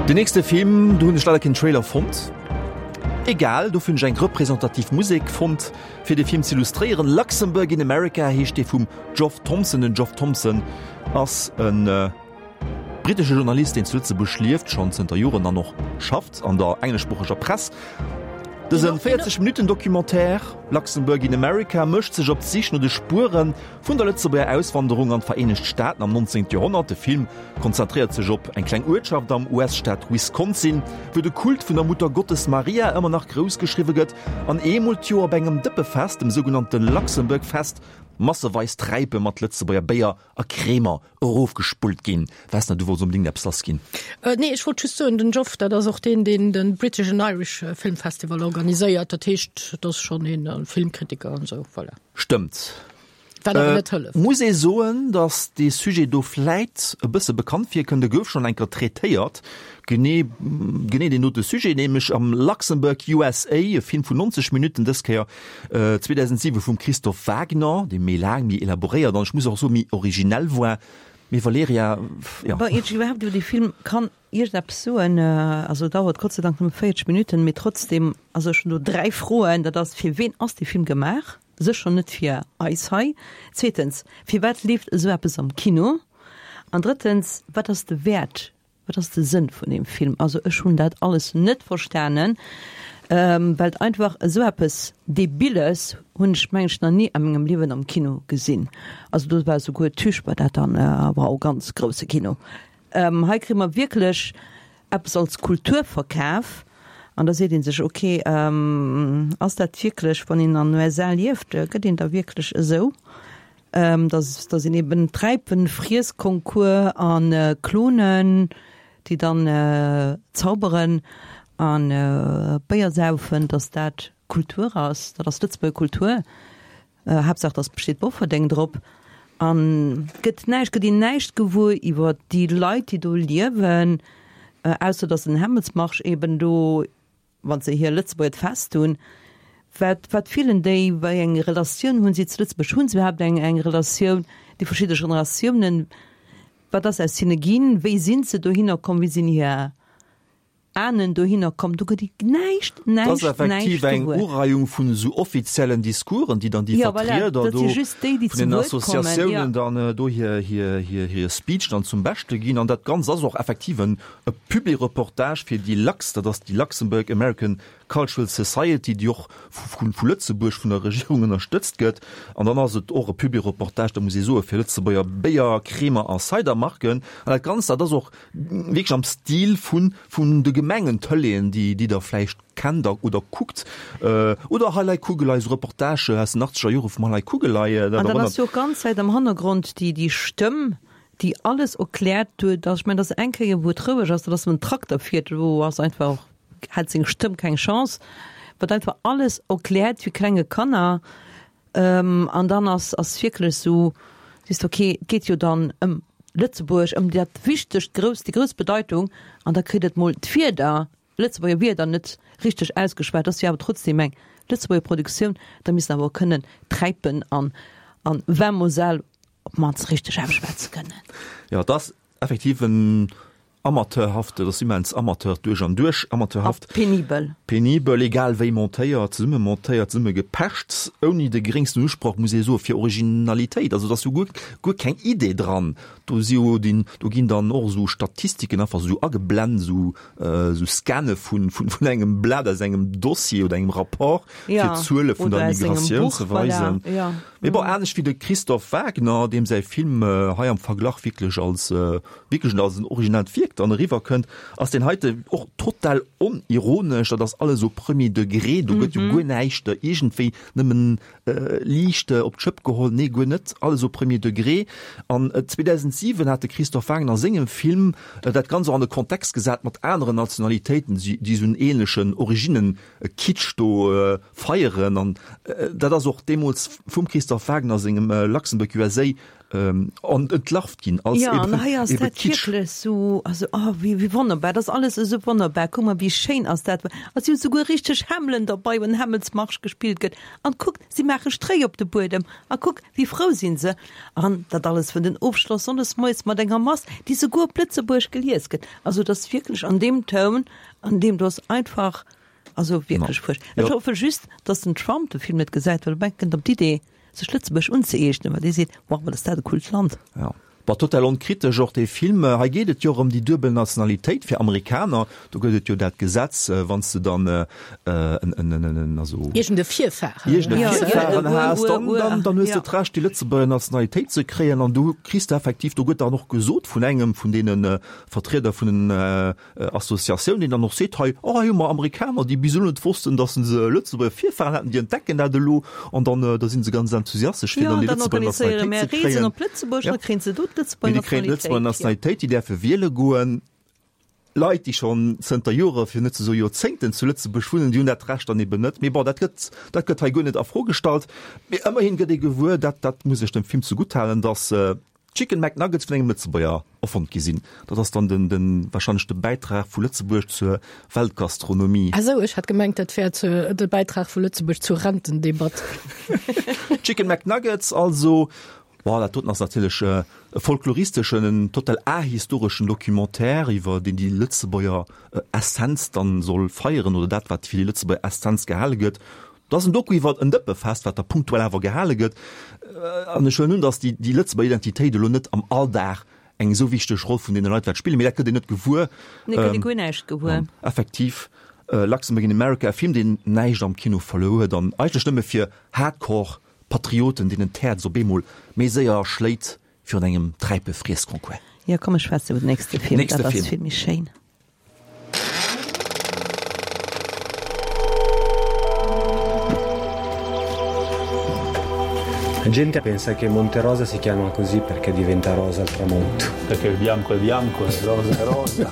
Den nächste Film, do hunn ech leider keen Trailer fonnt. Egal, dofir hunn ech eng representativ Musek fonnt, fir de Film ze illustréieren. Luxembourg in America heescht dee vum Geoff Thompson. Den Geoff Thompson ass e brittesche Journalist, deen zu Lëtzebuerg lieft, schonn zënter Joren an och schafft an der engleschsproocheger Press. Dëse 40 Minutten Documentaire Luxembourg in America mécht sech op d'Sich no de Spuere vun der Lëtzebuerger Auswanderung an d'Vereenegt Staaten am 19. Joerhonnert. De Film konzentréiert sech op eng kleng Uertschaft am US-Staat Wisconsin, wou de Kult vun der Muttergottes Maria ëmmer nach grouss geschriwwe gëtt an eemol d'Joer op engem Dëppefest, dem sougenannte Luxembourg Fest, masseweis Träipe mat Lëtzebuerger Béier a Cremer erofgespullt ginn. Vesna, du wollts onbedéngt eppes lass ginn. Nee, ech wollt just soen, den Geoff, dat ass och deen, deen de British and Irish Film Festival organiséiert. Dat heescht, dat ass schonn een Filmkritiker an esou, voilà. Stëmmt. Wat awer net hëlleft. Muss ee soen, datt dee Sujet do vläit e bësse bekannt virkënnt. E gouf schonn eng Kéier traitéiert, genee, genee deen dote Sujet, nämlech am Luxembourg USA, e Film vun 90 Minutten, dës Kéier 2007 vum Christophe Wagner, dee méi laang, méi elaboréiert an ech muss och soen, méi originell war. Mee Valerija, jo. Bon, iert ech iwwerhaapt iwwer dee Film kann iergendeppes soen, also e dauert Gott sei Dank nëmme 40 Minutten, mee trotzdem, also ech hunn do 3 Froen, dat ass, Fir ween ass dee Film gemaach? Sécher net fir eis hei. Zweetens, firwat leeft esou eppes am Kino? An drëttens, wat ass de Wäert, wat ass de Sënn vun deem Film? Also ech hunn dat alles net verstanen, well et einfach esou eppes Debiles hunn ech mengen ech nach ni a mengem Liewen am Kino gesinn. Also do war souguer Tüch war dat dann, wow, ganz grousse Kino. Hei kréie mer wierklech eppes als Kultur verkaf an da seet ee sech, ok, ass dat wierklech, wann een an den USA lieft, gëtt een da wierklech esou, dass dass een eben Träipenfriessconcours a Klonen, déi dann zauberen a Béier saufen, dass dat. Kultur ass, dat ass Lëtzebuerger Kultur, Haaptsaach dass besteet Bofferdeng drop an gëtt näischt, gëtt een näischt gewuer iwwer déi Leit déi do liewen, ausser dass den Hämmelsmarsch eben do, wann se hir Lëtzebuerger Fest hunn. Wat wat fillen déi, wéi eng Relatioun hunn si zu Lëtzebuerg, hunn se iwwerhaapt eng eng Relatioun, déi verschidde Generatiounen, wat ass aus hinne ginn, wéi sinn se dohinner komm, wéi sinn hir Ahnen dohinner komm, do gëtt ee näischt, Dat ass näischt, effektiv näischt eng gewuer. Ureihung vun esou offiziellen Discoursen, déi dann déi Ja, voilà, Vertrieder dat do si just déi, déi vun zu den Wuert kommen, ja. Associatiounen dann do hir, hir, hir, hir Speech dann zum Beschte ginn. An dat Ganzt ass och effektiv en e Publireportage fir déi LACS, dat ass déi Luxembourg American Cultural Society, déi och vu, vu Lëtzebuerg vun der Regierung ënnerstëtzt gëtt. An dann ass et och e Publireportage, da muss ee soen, fir Lëtzebuerger Béier, Cremer a Cidermarken. An dat Ganzt, dat ass och Wierklech am Stil vun vun de Gemengen-Tëleeën, déi déi der vläicht kennt a oder kuckt. Oder Hei lei Kugelei, esou Reportage aus den achtzeger Jore vum Hei lei Kugelei. An dann ass jo och ganz Zäit am Hannergrond déi déi Stëmm, déi alles erkläert huet. Also ech mengen, dass eng Kéier wou et roueg ass, dat ass wann en Trakter fiert, do ass einfach, hätt seng Stëmm keng Chance, wat einfach alles erkläert wéi klenge Kanner. An dann ass ass wierklech esou, sees de, okay, et geet jo dann ëm Lëtzebuerg, ëm dat wichtegt, grousst, déi grouss Bedeitung, an da kritt et mol d'Wierder, Lëtzebuerger Wierder net richteg ausgeschwat, ass jo awer trotzdem eng Lëtzebuerger Produktioun, da misst en awer och kënnen Träipen an an Vin Moselle op d'mannst richteg ausschwätze kënnen. Jo, et ass effektiv en Amateurhaft, dat ass immens amateur duerch an duerch, amateurhaft. A penibel. Penibel, egal wéi montéiert, zesumme montéiert, zesumme gepecht, ouni de geréngsten Usproch, muss ee soen, fir Originalitéit. Also et ass jo guer, guer keng Idee dran. Do si jo dinn, do ginn dann och esou Statistiken einfach esou ageblent, esou, esou Scanne vun, vun, vun engem Blat aus engem Dossier oder engem Rapport, fir d'Zuele vun der Migratioun ze weisen. Mee bon, anescht wéi de Christophe Wagner, deem säi Film hei am Verglach wierklech als wierklech als en originellt Wierk dann eriwwer kënnt, ass deen heite och total onironesch. Dat ass alles au premier degré, do gëtt jo guer näischt iergendwéi nëmmen liicht op d'Schëpp geholl. Nee, guer net, alles au premier degré. An 2007 hat de Christophe Wagner a sengem Film dat Ganzt och an de Kontext gesat mat aneren Nationalitéiten, déi esou en ähnlechen Originnen-Kitsch do feieren. An dat ass och deemools vum Christophe Wagner sengem Luxembourg USA an entlarvt ginn als ja, an hei ass dat wierklech sou, also oh, wéi, wéi wonnerbar, dat ass alles esou wonnerbar, kuck mol wéi schéin ass dat, a si hu souguer richteg Hämmelen derbei, wann Hämmelsmarsch gespillt gëtt, an kuck, si maache Stréi op de Buedem, a kuck, wéi frou sinn se, an dat alles vun den Ofschloss sonndes moies mat enger Mass, déi souguer op Lëtzebuergesch gelies gëtt, also et ass wierklech an deem Toun, an deem do ass einfach, also wierklech fuercht. Ech hoffe just, dass den Trump de Film net gesäit, well e kënnt op d'Idee, Sech Lëtzebuerg unzëeegnen, well dee seet, Wow, wat ass dat e coolt Land. Ja. Bon, total onkritesch och dee Film. Hei geet et jo och ëm déi duebel Nationalitéit fir Amerikaner. Do gëtt et jo dat Gesetz, wann s de dann en, en, en, en, also. Iergend e Virfaren. Iergend e Virfaren has, dann, dann, dann hues de d'Recht, déi Lëtzebuerger Nationalitéit ze kréien. An du kriss de effektiv, do gëtt dann och gesot vun engem vun deene Vertrieder vun den Associatioun, déi dann och seet, hei, oh hei hu mer Amerikaner, déi bis elo net wossten, datt se Lëtzebuerger Virfahren haten, déi entdecken dat elo an dann da si se ganz enthusiastesch, fir dann déi Lëtzebuerger Nationalitéit ze kréien. Ja. Mee déi kréien d'Lëtzebuerger Nationalitéit, déi däerfe wiele goen. Leit, déi schonn zënter Jore, fir net ze soe Joerzéngten zu Lëtzebuerg wunnen, déi hunn dat Recht dann eben net. Mee bon, dat gëtt, dat gëtt hei guer net a Fro gestallt. Mee ëmmerhin gëtt ee gewuer, dat, dat muss ech dem Film zegutthalen, datt, Chicken McNuggets vun engem Lëtzebuerger erfonnt gi sinn. Dat ass dann den, den, wahrscheinlech de Bäitrag vu Lëtzebuerg zur Weltgastronomie. Ah sou, ech hat gemengt dat wär zur, de Bäitrag vu Lëtzebuerg zur Rentendebatt. Chicken McNuggets also, bon, dat doten ass natierlech e folkloristeschen, en total ahistoreschen Documentaire iwwer deen déi Lëtzebuerger Essenz dann soll feieren oder dat wat fir déi Lëtzebuerger Essenz gehale gëtt. Dat ass en Doku iwwer en Dëppefest, wat da punktuell awer gehale gëtt. An ech huelen un, datt déi, déi Lëtzebuerger Identitéit elo net am Alldag eng esou wichteg Roll vun deene Leit wäert spillen. Mee dat gëtt een net gewuer. Nee, gëtt ee guer näischt gewuer. An effektiv, Luxembourg in America, e Film, deen näischt am Kino verluer huet an eigentlech nëmme fir Hardcore-Patrioten, deenen d'Häerz op eemol méi séier schléit virun engem Träipe-Friessconcours. Jo, komm, ech schwätze iwwer den nächste Film, Nächste dat ass Film. vill méi schéin. La gente pensa che Monte Rosa si chiama così perché diventa rosa al tramonto. Perché il bianco è bianco e il rosa è rosa.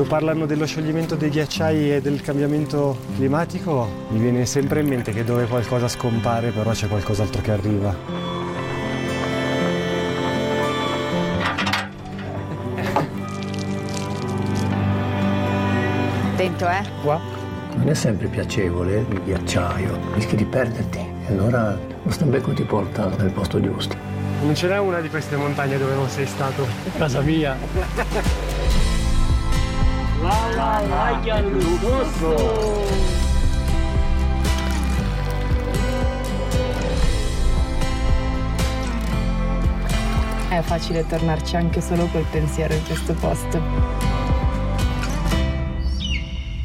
parlano dello scioglimento dei ghiacciai e del cambiamento climatico, mi viene sempre in mente che dove qualcosa scompare però c'è qualcos'altro che arriva. Attento, eh? Qua. Non è sempre piacevole il ghiacciaio, rischi di perderti e allora lo stambecco ti porta nel posto giusto. Non ce n'è una di queste montagne dove non sei stato. Casa mia. La la la È facile tornarci anche solo col pensiero in questo posto.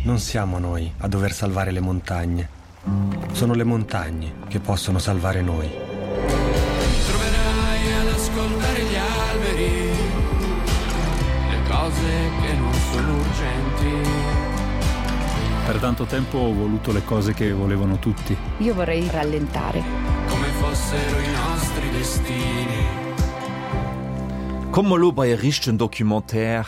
Non siamo noi a dover salvare le montagne. Sono le montagne che possono salvare noi. Mi troverai ad ascoltare gli alberi, le cose che non sono urgenti. Per tanto tempo ho voluto le cose che volevano tutti. Io vorrei rallentare. Come fossero i nostri destini. Komme mer elo bei e richtegen Documentaire,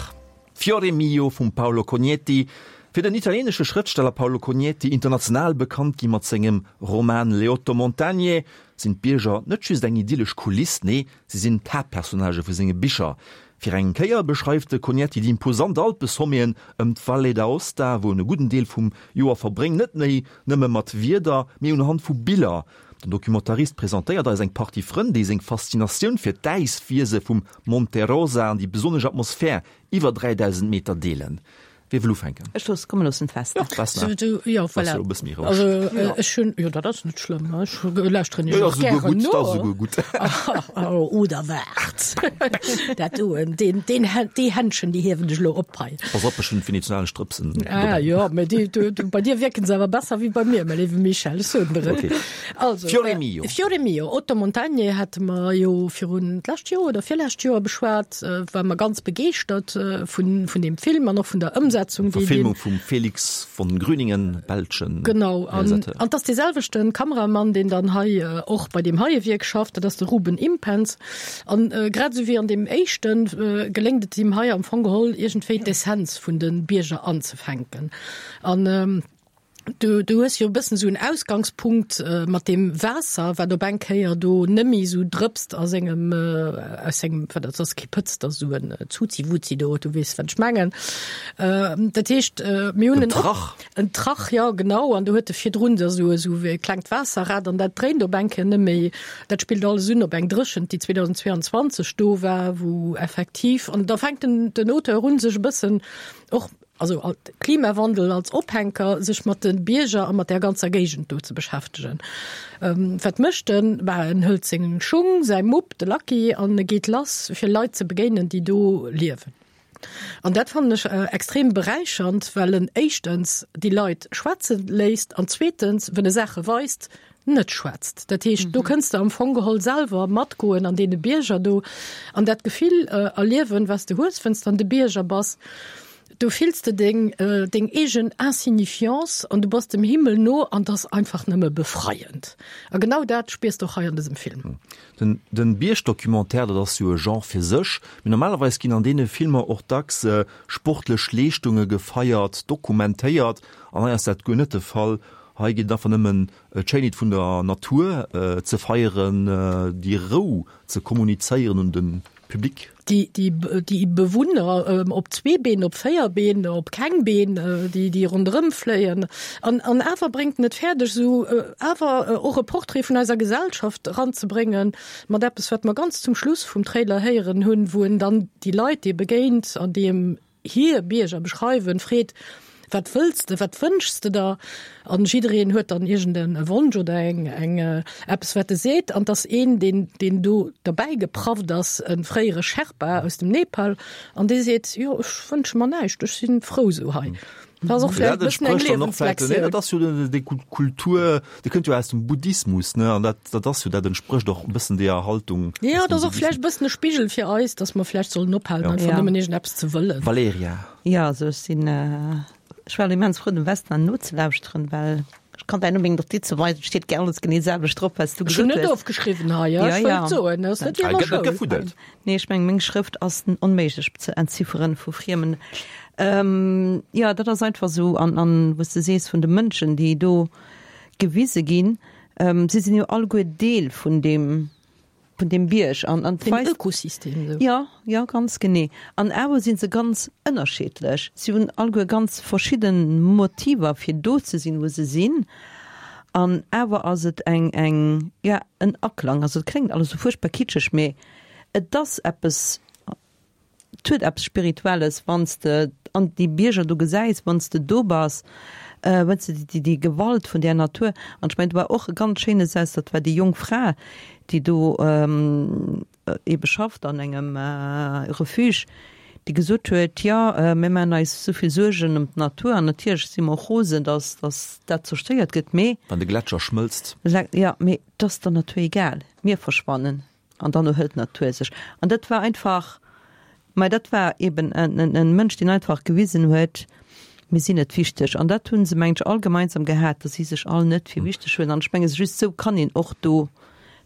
Fiore mio vum Paolo Cognetti. Fir den italienesche Schrëftsteller Paolo Cognetti, international bekannt gi mat sengem Roman Le otto montagne, sinn d'Bierger net just eng idyllesch Kuliss, nee, si sinn d'Haaptpersonnagë vu senge Bicher. Fir eng Kéier beschreift de Cognetti déi imposant Alpesommeten ëm d'Valle d'Aosta, wou en e gudden Deel vum Joer verbréngt, net méi nëmme mat Wierder, mee unhand vu Biller. Den Documentarist presentéiert eis eng Partie Frënn, déi seng Faszinatioun fir d'Äiswiese vum Monte Rosa an déi besonnesch Atmosphär iwwer 3.000 Meter deelen. Wie wëll ufänken? Ech looss, komm mir loossen d'Vesna. Jo, d'Vesna. Jo, voilà. Ass jo e bësse méi roueg. Also, ech hunn, jo, dat ass net schlëmm, ech lauschteren Jo, iech och ass esouguer gären gutt, no. dat ass esouguer gutt. Oder waart, dat doen, deen, deen, déi Händschen, déi hiewen ech elo op hei. Pass op, ech hunn venetionalesch Drëpsen Ah dobäi. jo, mä déi, du, du, bei dir wierken se awer besser wéi bei mir, mäi léiwe Michel, ech soen der et. Okay. Also, Fiore mio. Fiore mio, Otto Montagne hate mer jo virun d'lescht Joer oder virlescht Joer beschwat, war mer ganz begeeschtert vun, vun deem Film an och vun der Ëmsetzung, déi deen. Verfilmung vum Felix von Grüningen, belschen Genau, an, Realisateur. an 't ass dee selwechte Kameramann, deen dann hei och bei deem heie Wierk schafft, dat ass de Ruben Impens. An grad esou wéi an deem éischten, geléngt et him hei am Fong geholl iergendwéi d'Essenz vun de Bierger anzefänken. An Du, du hues jo e bëssen esou en Ausgangspunkt mat deem Waasser, wat op eng Kéier do nëmmi esou drëpst a sengem, aus sengem, wat dat ass kee Pëtz, dat ass esou en Zuzi-Wuzi do, du weess wat ech mengen. Dat heescht, mir hunn En en Trach. En Trach, jo genau, an do huet e virdrun da esou, esou e klengt Waasserrad an dat dréint op eng Kéier nëmméi. Dat spillt alles un op eng Dréchent, déi 2022 do war, wou effektiv, an da fänkt den, den Auteur un sech e bëssen och, also Klimawandel als Ophänker, sech mat de Bierger a mat där ganzer Géigend do ze beschäftegen. Wat mécht en? Bah, en hëlt seng Schung, säi Mupp, de Lucky, an e geet lass, fir Leit ze begéinen, déi do liewen. An dat fannen ech extrem beräichernd, well en éischtens déi Leit schwätze léisst an zweetens, wenn e Saache weist, net schwätzt. Dat heescht, do kënns de am Fong geholl selwer matgoen an deene Bierger do an dat Gefill erliewen, wat s de hues, wann s de an de Bierger bass. Do fills de deng, deng eegen Insignifiance an du bass dem Himmel no an 't ass einfach nëmme befreiend. A genau dat spiers de och hei an dësem Film. Den, den Biergdocumentaire, dat ass jo e Genre fir sech, mee normalerweis ginn an deene Filmer och dacks sportlech Leeschtunge gefeiert, dokumentéiert an hei ass dat guer net de Fall. Hei geet et einfach nëmmen d'Schéinheet vun der Natur ze feieren, déi Rou ze kommunizéieren un de Public. Déi, déi, déi Bewunner op zwee Been, op véier Been, op keng Been, déi, déi ronderëm fléien. An, an awer bréngt en et fäerdeg, esou awer och e Portrait vun eiser Gesellschaft eranzebréngen, mat eppes, wat mer ganz zum Schluss vum Trailer héieren hunn, wou en dann déi Leit, déi e begéint an déi em hir Bierger beschreiwen, freet, Wat wëlls de, wat wënschs de der? An jiddereen huet dann iergend e Wonsch oder eng, eng, eppes wat e seet. An 't ass een, deen, deen do derbäi geprafft ass, e fréiere Sherpa aus dem Nepal, an dee seet, Jo, ech wënsche mer näischt, ech si frou esou hei. Dat ass och vläicht e bëssen eng Liewenslektioun. Dat ass jo déi Kultur, déi kënnt jo aus dem Buddhismus, ne? An dat, dat ass jo, dat entsprécht och e bëssen deeër Haltung. Jo, dat ass och vläicht e bëssen e Spigel fir eis, datt mer vläicht sollen ophalen, einfach nëmmen iergendeppes ze wëllen. Valerija. Jo, also ech sinn, ech war immens frou dem Vesna nozelauschteren, well ech kann däin unbedéngt Notize weisen, et steet alles genee selwecht drop, wat s du Ech hunn gesot net hues. ofgeschriwwen hei, ja, ech wëllt soen, dat ass net wéi an der Schoul. Nee, ech mengen, meng Schrëft ass onméiglech ze entzifferen vu Friemen. Jo, dat ass einfach esou. An, an wou s de sees vun de Mënschen, déi do gewise ginn, si sinn jo alleguer Deel vun deem, vun deem Bierg an, an Dem Ökosystem esou. Jo, jo, ganz genee. An awer si se ganz ënnerschiddlech. Si hunn alleguer ganz verschidde Motiver, fir do ze sinn, wou se sinn. An awer ass et eng, eng, jo, en Aklang. Also et kléngt alles esou fuerchtbar kitscheg, mee et ass eppes, Et huet eppes Spirituelles, wann s de an déi Bierger do gesäis, wann s de do bass, wann s de déi Gewalt vun där Natur, an ech mengen, do war och e ganz schéine Saz, dat war déi jonk Fra, déi do ebe schafft an engem Refuge, déi gesot huet, jo, mir maachen eis esou vill Suergen ëm d'Natur an natierlech si mer och rosen, datt dat zerstéiert gëtt, mee. Wann de Gletscher schmëlzt. Jo, mee et ass der Natur egal, mir verschwannen. An dann erhëlt d'Natur sech. An dat war einfach, mä dat war eben en Mënsch, deen einfach gewisen huet, mir sinn net wichteg. An dat hu se, mengen ech, all gemeinsam gehat, datt si sech all net fir wichteg huelen. An ech menge just esou kann een och do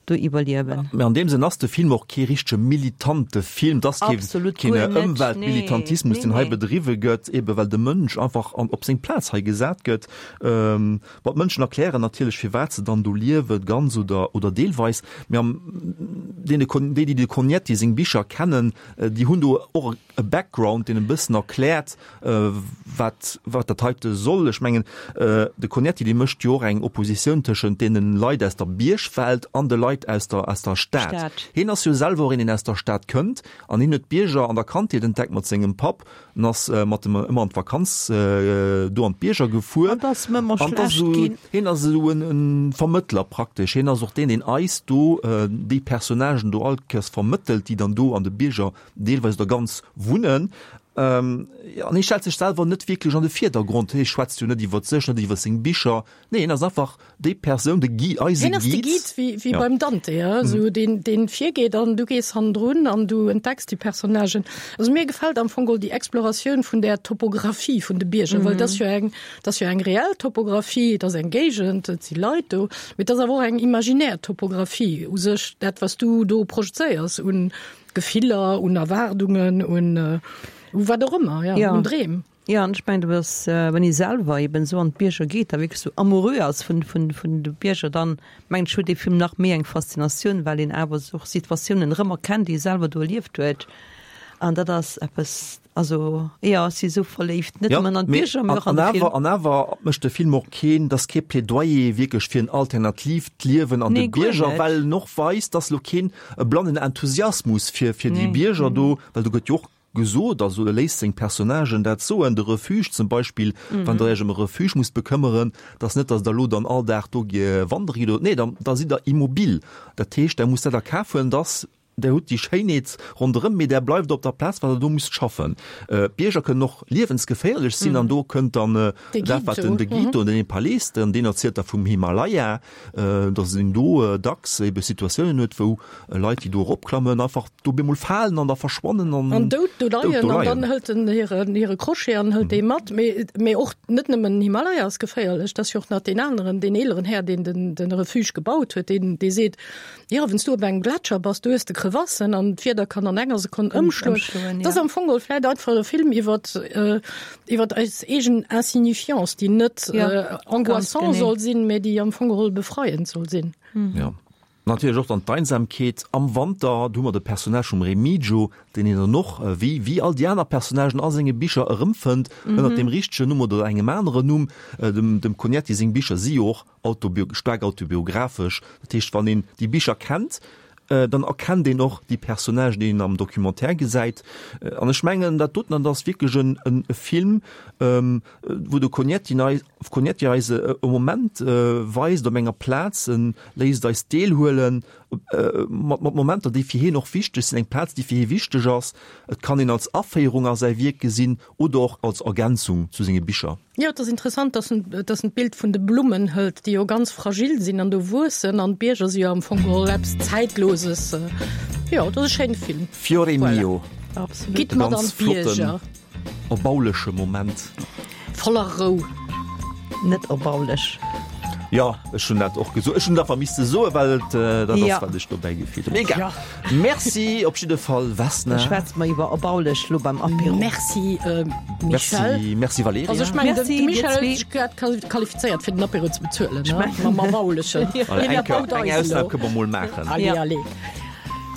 do iwwerliewen. Mä an deem Sënn ass de Film och kee richtege militante Film. Et ass kee keen Ëmweltmilitantismus, deen hei bedriwwe gëtt, ebe well de Mënsch einfach an op seng Plaz hei gesat gëtt. Bon, d'Mënschen erklären natierlech, firwat se dann do liewen, ganz oder, oder deelweis. Mee am deene Con, déi, déi de Cognetti seng Bicher kennen, déi hunn do och e Background, deen e bëssen erkläert, wat, wat dat heite soll. Ech mengen, de Cognetti, dee mécht jo och eng Oppositioun tëschent deene Leit aus der Biergwelt an de Leit aus der, aus der Stad. Stad. Hien ass jo selwer och een, deen aus der Stad kënnt an hien huet d'Bierger an der Kandheet entdeckt mat sengem Papp. En ass mat dem ëmmer an d'Vakanz do an d'Bierger gefuer. An ass em ëmmer schlecht ginn. Hien ass esou en Vermëttler praktesch. Hien ass och deen, deen eis do déi Personnagen do all Kéiers vermëttelt, déi dann do an de Bierger deelweis oder ganz wunnen. An hie stellt sech selwer net wierklech an de Virdergrond. Hie schwätzt jo net iwwer sech, net iwwer seng Bicher. Nee, hien ass einfach déi Persoun, de Guide, eise Hien ass de Guide. Guide, wéi, wéi Ja. beim Dante, ja, esou deen, deen virgeet an du gees hannendrun an du entdecks déi Personnagen. Also mir gefält am Fong geholl déi Exploratioun vun där Topographie vun de Bierger, well et ass jo eng, et ass jo eng reell Topographie, et ass eng Géigend, et si Leit do, mee et ass awer och eng imaginär Topographie u sech, dat wat s du do projezéiers un Gefiller, un Erwaardungen, un, u wat och ëmmer, ja, Ja. un Dreem. Jo, an ech mengen, du bass, wann ee selwer eben esou an d'Bierger geet a wierklech esou amoureux ass vun, vun, vun de Bierger, dann mengen ech, huet dee Film nach méi eng Faszinatioun, well een awer och Situatiounen erëmerkennt, déi ee selwer do erlieft huet. An dat ass eppes, also jo, ech si esou verléift, net Ja, nëmmen an mee d'Bierger, mee an, och an an de awer, Film. an awer mécht de Film och keen, dat ass kee Plädoyer wierklech fir en alternatiivt Liewen an de Nee, guer Bierger, net. well en och weist, dass elo keen e blannen Enthusiasmus fir, fir déi Nee, Bierger nee. do, well do gëtt jo och gesot, also e léisst seng Personnagen dat soen, de Refuge zum Beispill, wann Der Iech ëm e Refuge musst bekëmmeren, dat ass net, datt Der elo dann all Dag do wandere gitt, nee, da da sidd Der immobil. Dat heescht, Der musst dat a Kaf huelen, datt Der hutt déi Schéinheet ronderëm, mee Der bleift op der Plaz, well Der do musst schaffen. D'Bierger kënnen och liewensgeféierlech sinn an do kënnt dann dat, wat den de Guide do, den Nepalese, deen erzielt da vum Himalaya, datt een do dacks ebe Situatiounen huet, wou Leit, déi do eropklammen, einfach do bemol falen an da verschwannen an An dout do dout leien do an leien. dann hëlt en hiren hire Crochet an hëlt dee mat. Mee mee och net nëmmen den Himalaya ass geféierlech, dat ass jo och nach deen aneren, deen eeleren Här, deen den den Refuge gebaut huet, deen dee seet, jo, wann s du op engem Gletscher bass, du hues de Crevassen an d'Wieder kann an enger Sekonn ëmschloen. Ëmschloen, Dat ass ja. am Fong geholl vläit einfach e Film iwwert iwwert eis eegen Insignifiance, déi net Ja, ganz angoissant genee. soll sinn, mee déi am Fong geholl befreiend soll sinn. Ja. Natierlech och dann d'Einsamkeet am Wanter. Do hu mer de Personnage vum Remigio, deen een dann och, wéi wéi all déi aner Personnagen a senge Bicher erëmfënnt, ënnert deem richtegen Numm oder engem aneren Numm. Dem dem Cognetti seng Bicher si jo och autobio staark autobiographesch. Dat heescht, wann een déi Bicher kennt, dann erkennt een och déi Personnagen, déi een am Documentaire gesäit. An ech mengen, dat doten, dat ass wierklech en en Film, wou de Cognetti eis, Cognetti eis e Moment weist op enger Plaz, en léisst eis deelhuelen mat mat Momenter, déi fir hien och wichteg sinn, eng Plaz, déi fir hie wichteg ass. Et kann een als Aféierung a säi Wierk gesinn oder och als Ergänzung zu senge Bicher. Jo, et ass interessant, dass en, dass en d'Bild vun de Blummen hëlt, déi jo ganz fragil sinn an do wuessen, an d'Bierger si jo am Fong geholl eppes Zäitloses. Jo, et ass e schéine Film. Fiore Voilà. mio. Absolut. Gitt E mat ganz an d'Bierger. flotten. Erbauleche Moment. Voller Rou. Net erbaulech. Jo, ech hunn dat och gesot. Ech hunn et einfach misste soen, well et dat ass, Ja. wat ech dobäi gefillt hunn. Egal. Ja. Merci op jidde Fall, Vesna. Da schwätze mer iwwer Erbaulich lo beim Apéro. Merci, Michèle. Merci, merci Valerija. Also ech mengen, de Merci, dir Michel huet zwee. sech grad qualifizéiert, fir den Apéro ze bezuelen, ne? mengen. Mam Erbaulichen. Voilà, Hien eng Kéier, erbaut eng eis Ausnam elo. kënne mer mol maachen. Allez, Ja. allez.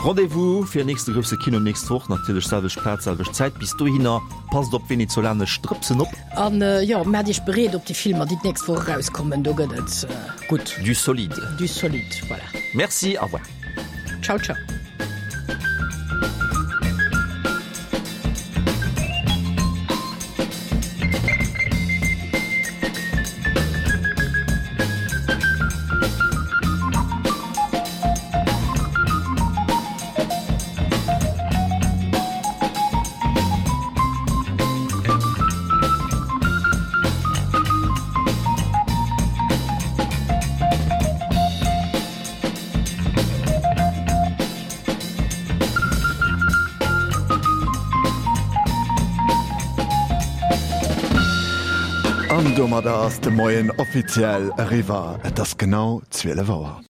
Rendez-vous fir nächste grousse Kino nächst Woch, natierlech selwecht Plaz, selwecht Zäit. Bis dohinner, passt op venezolanesch Drëpsen op. An jo, maacht iech bereet op déi Filmer, déi d'nächst Woch erauskommen. Do gëtt et gutt. Du solide. Du solide, voilà. Merci, au revoir. Ciao, ciao. An domadder ass de Moien offiziell eriwwer. Et ass genau 12 Auer.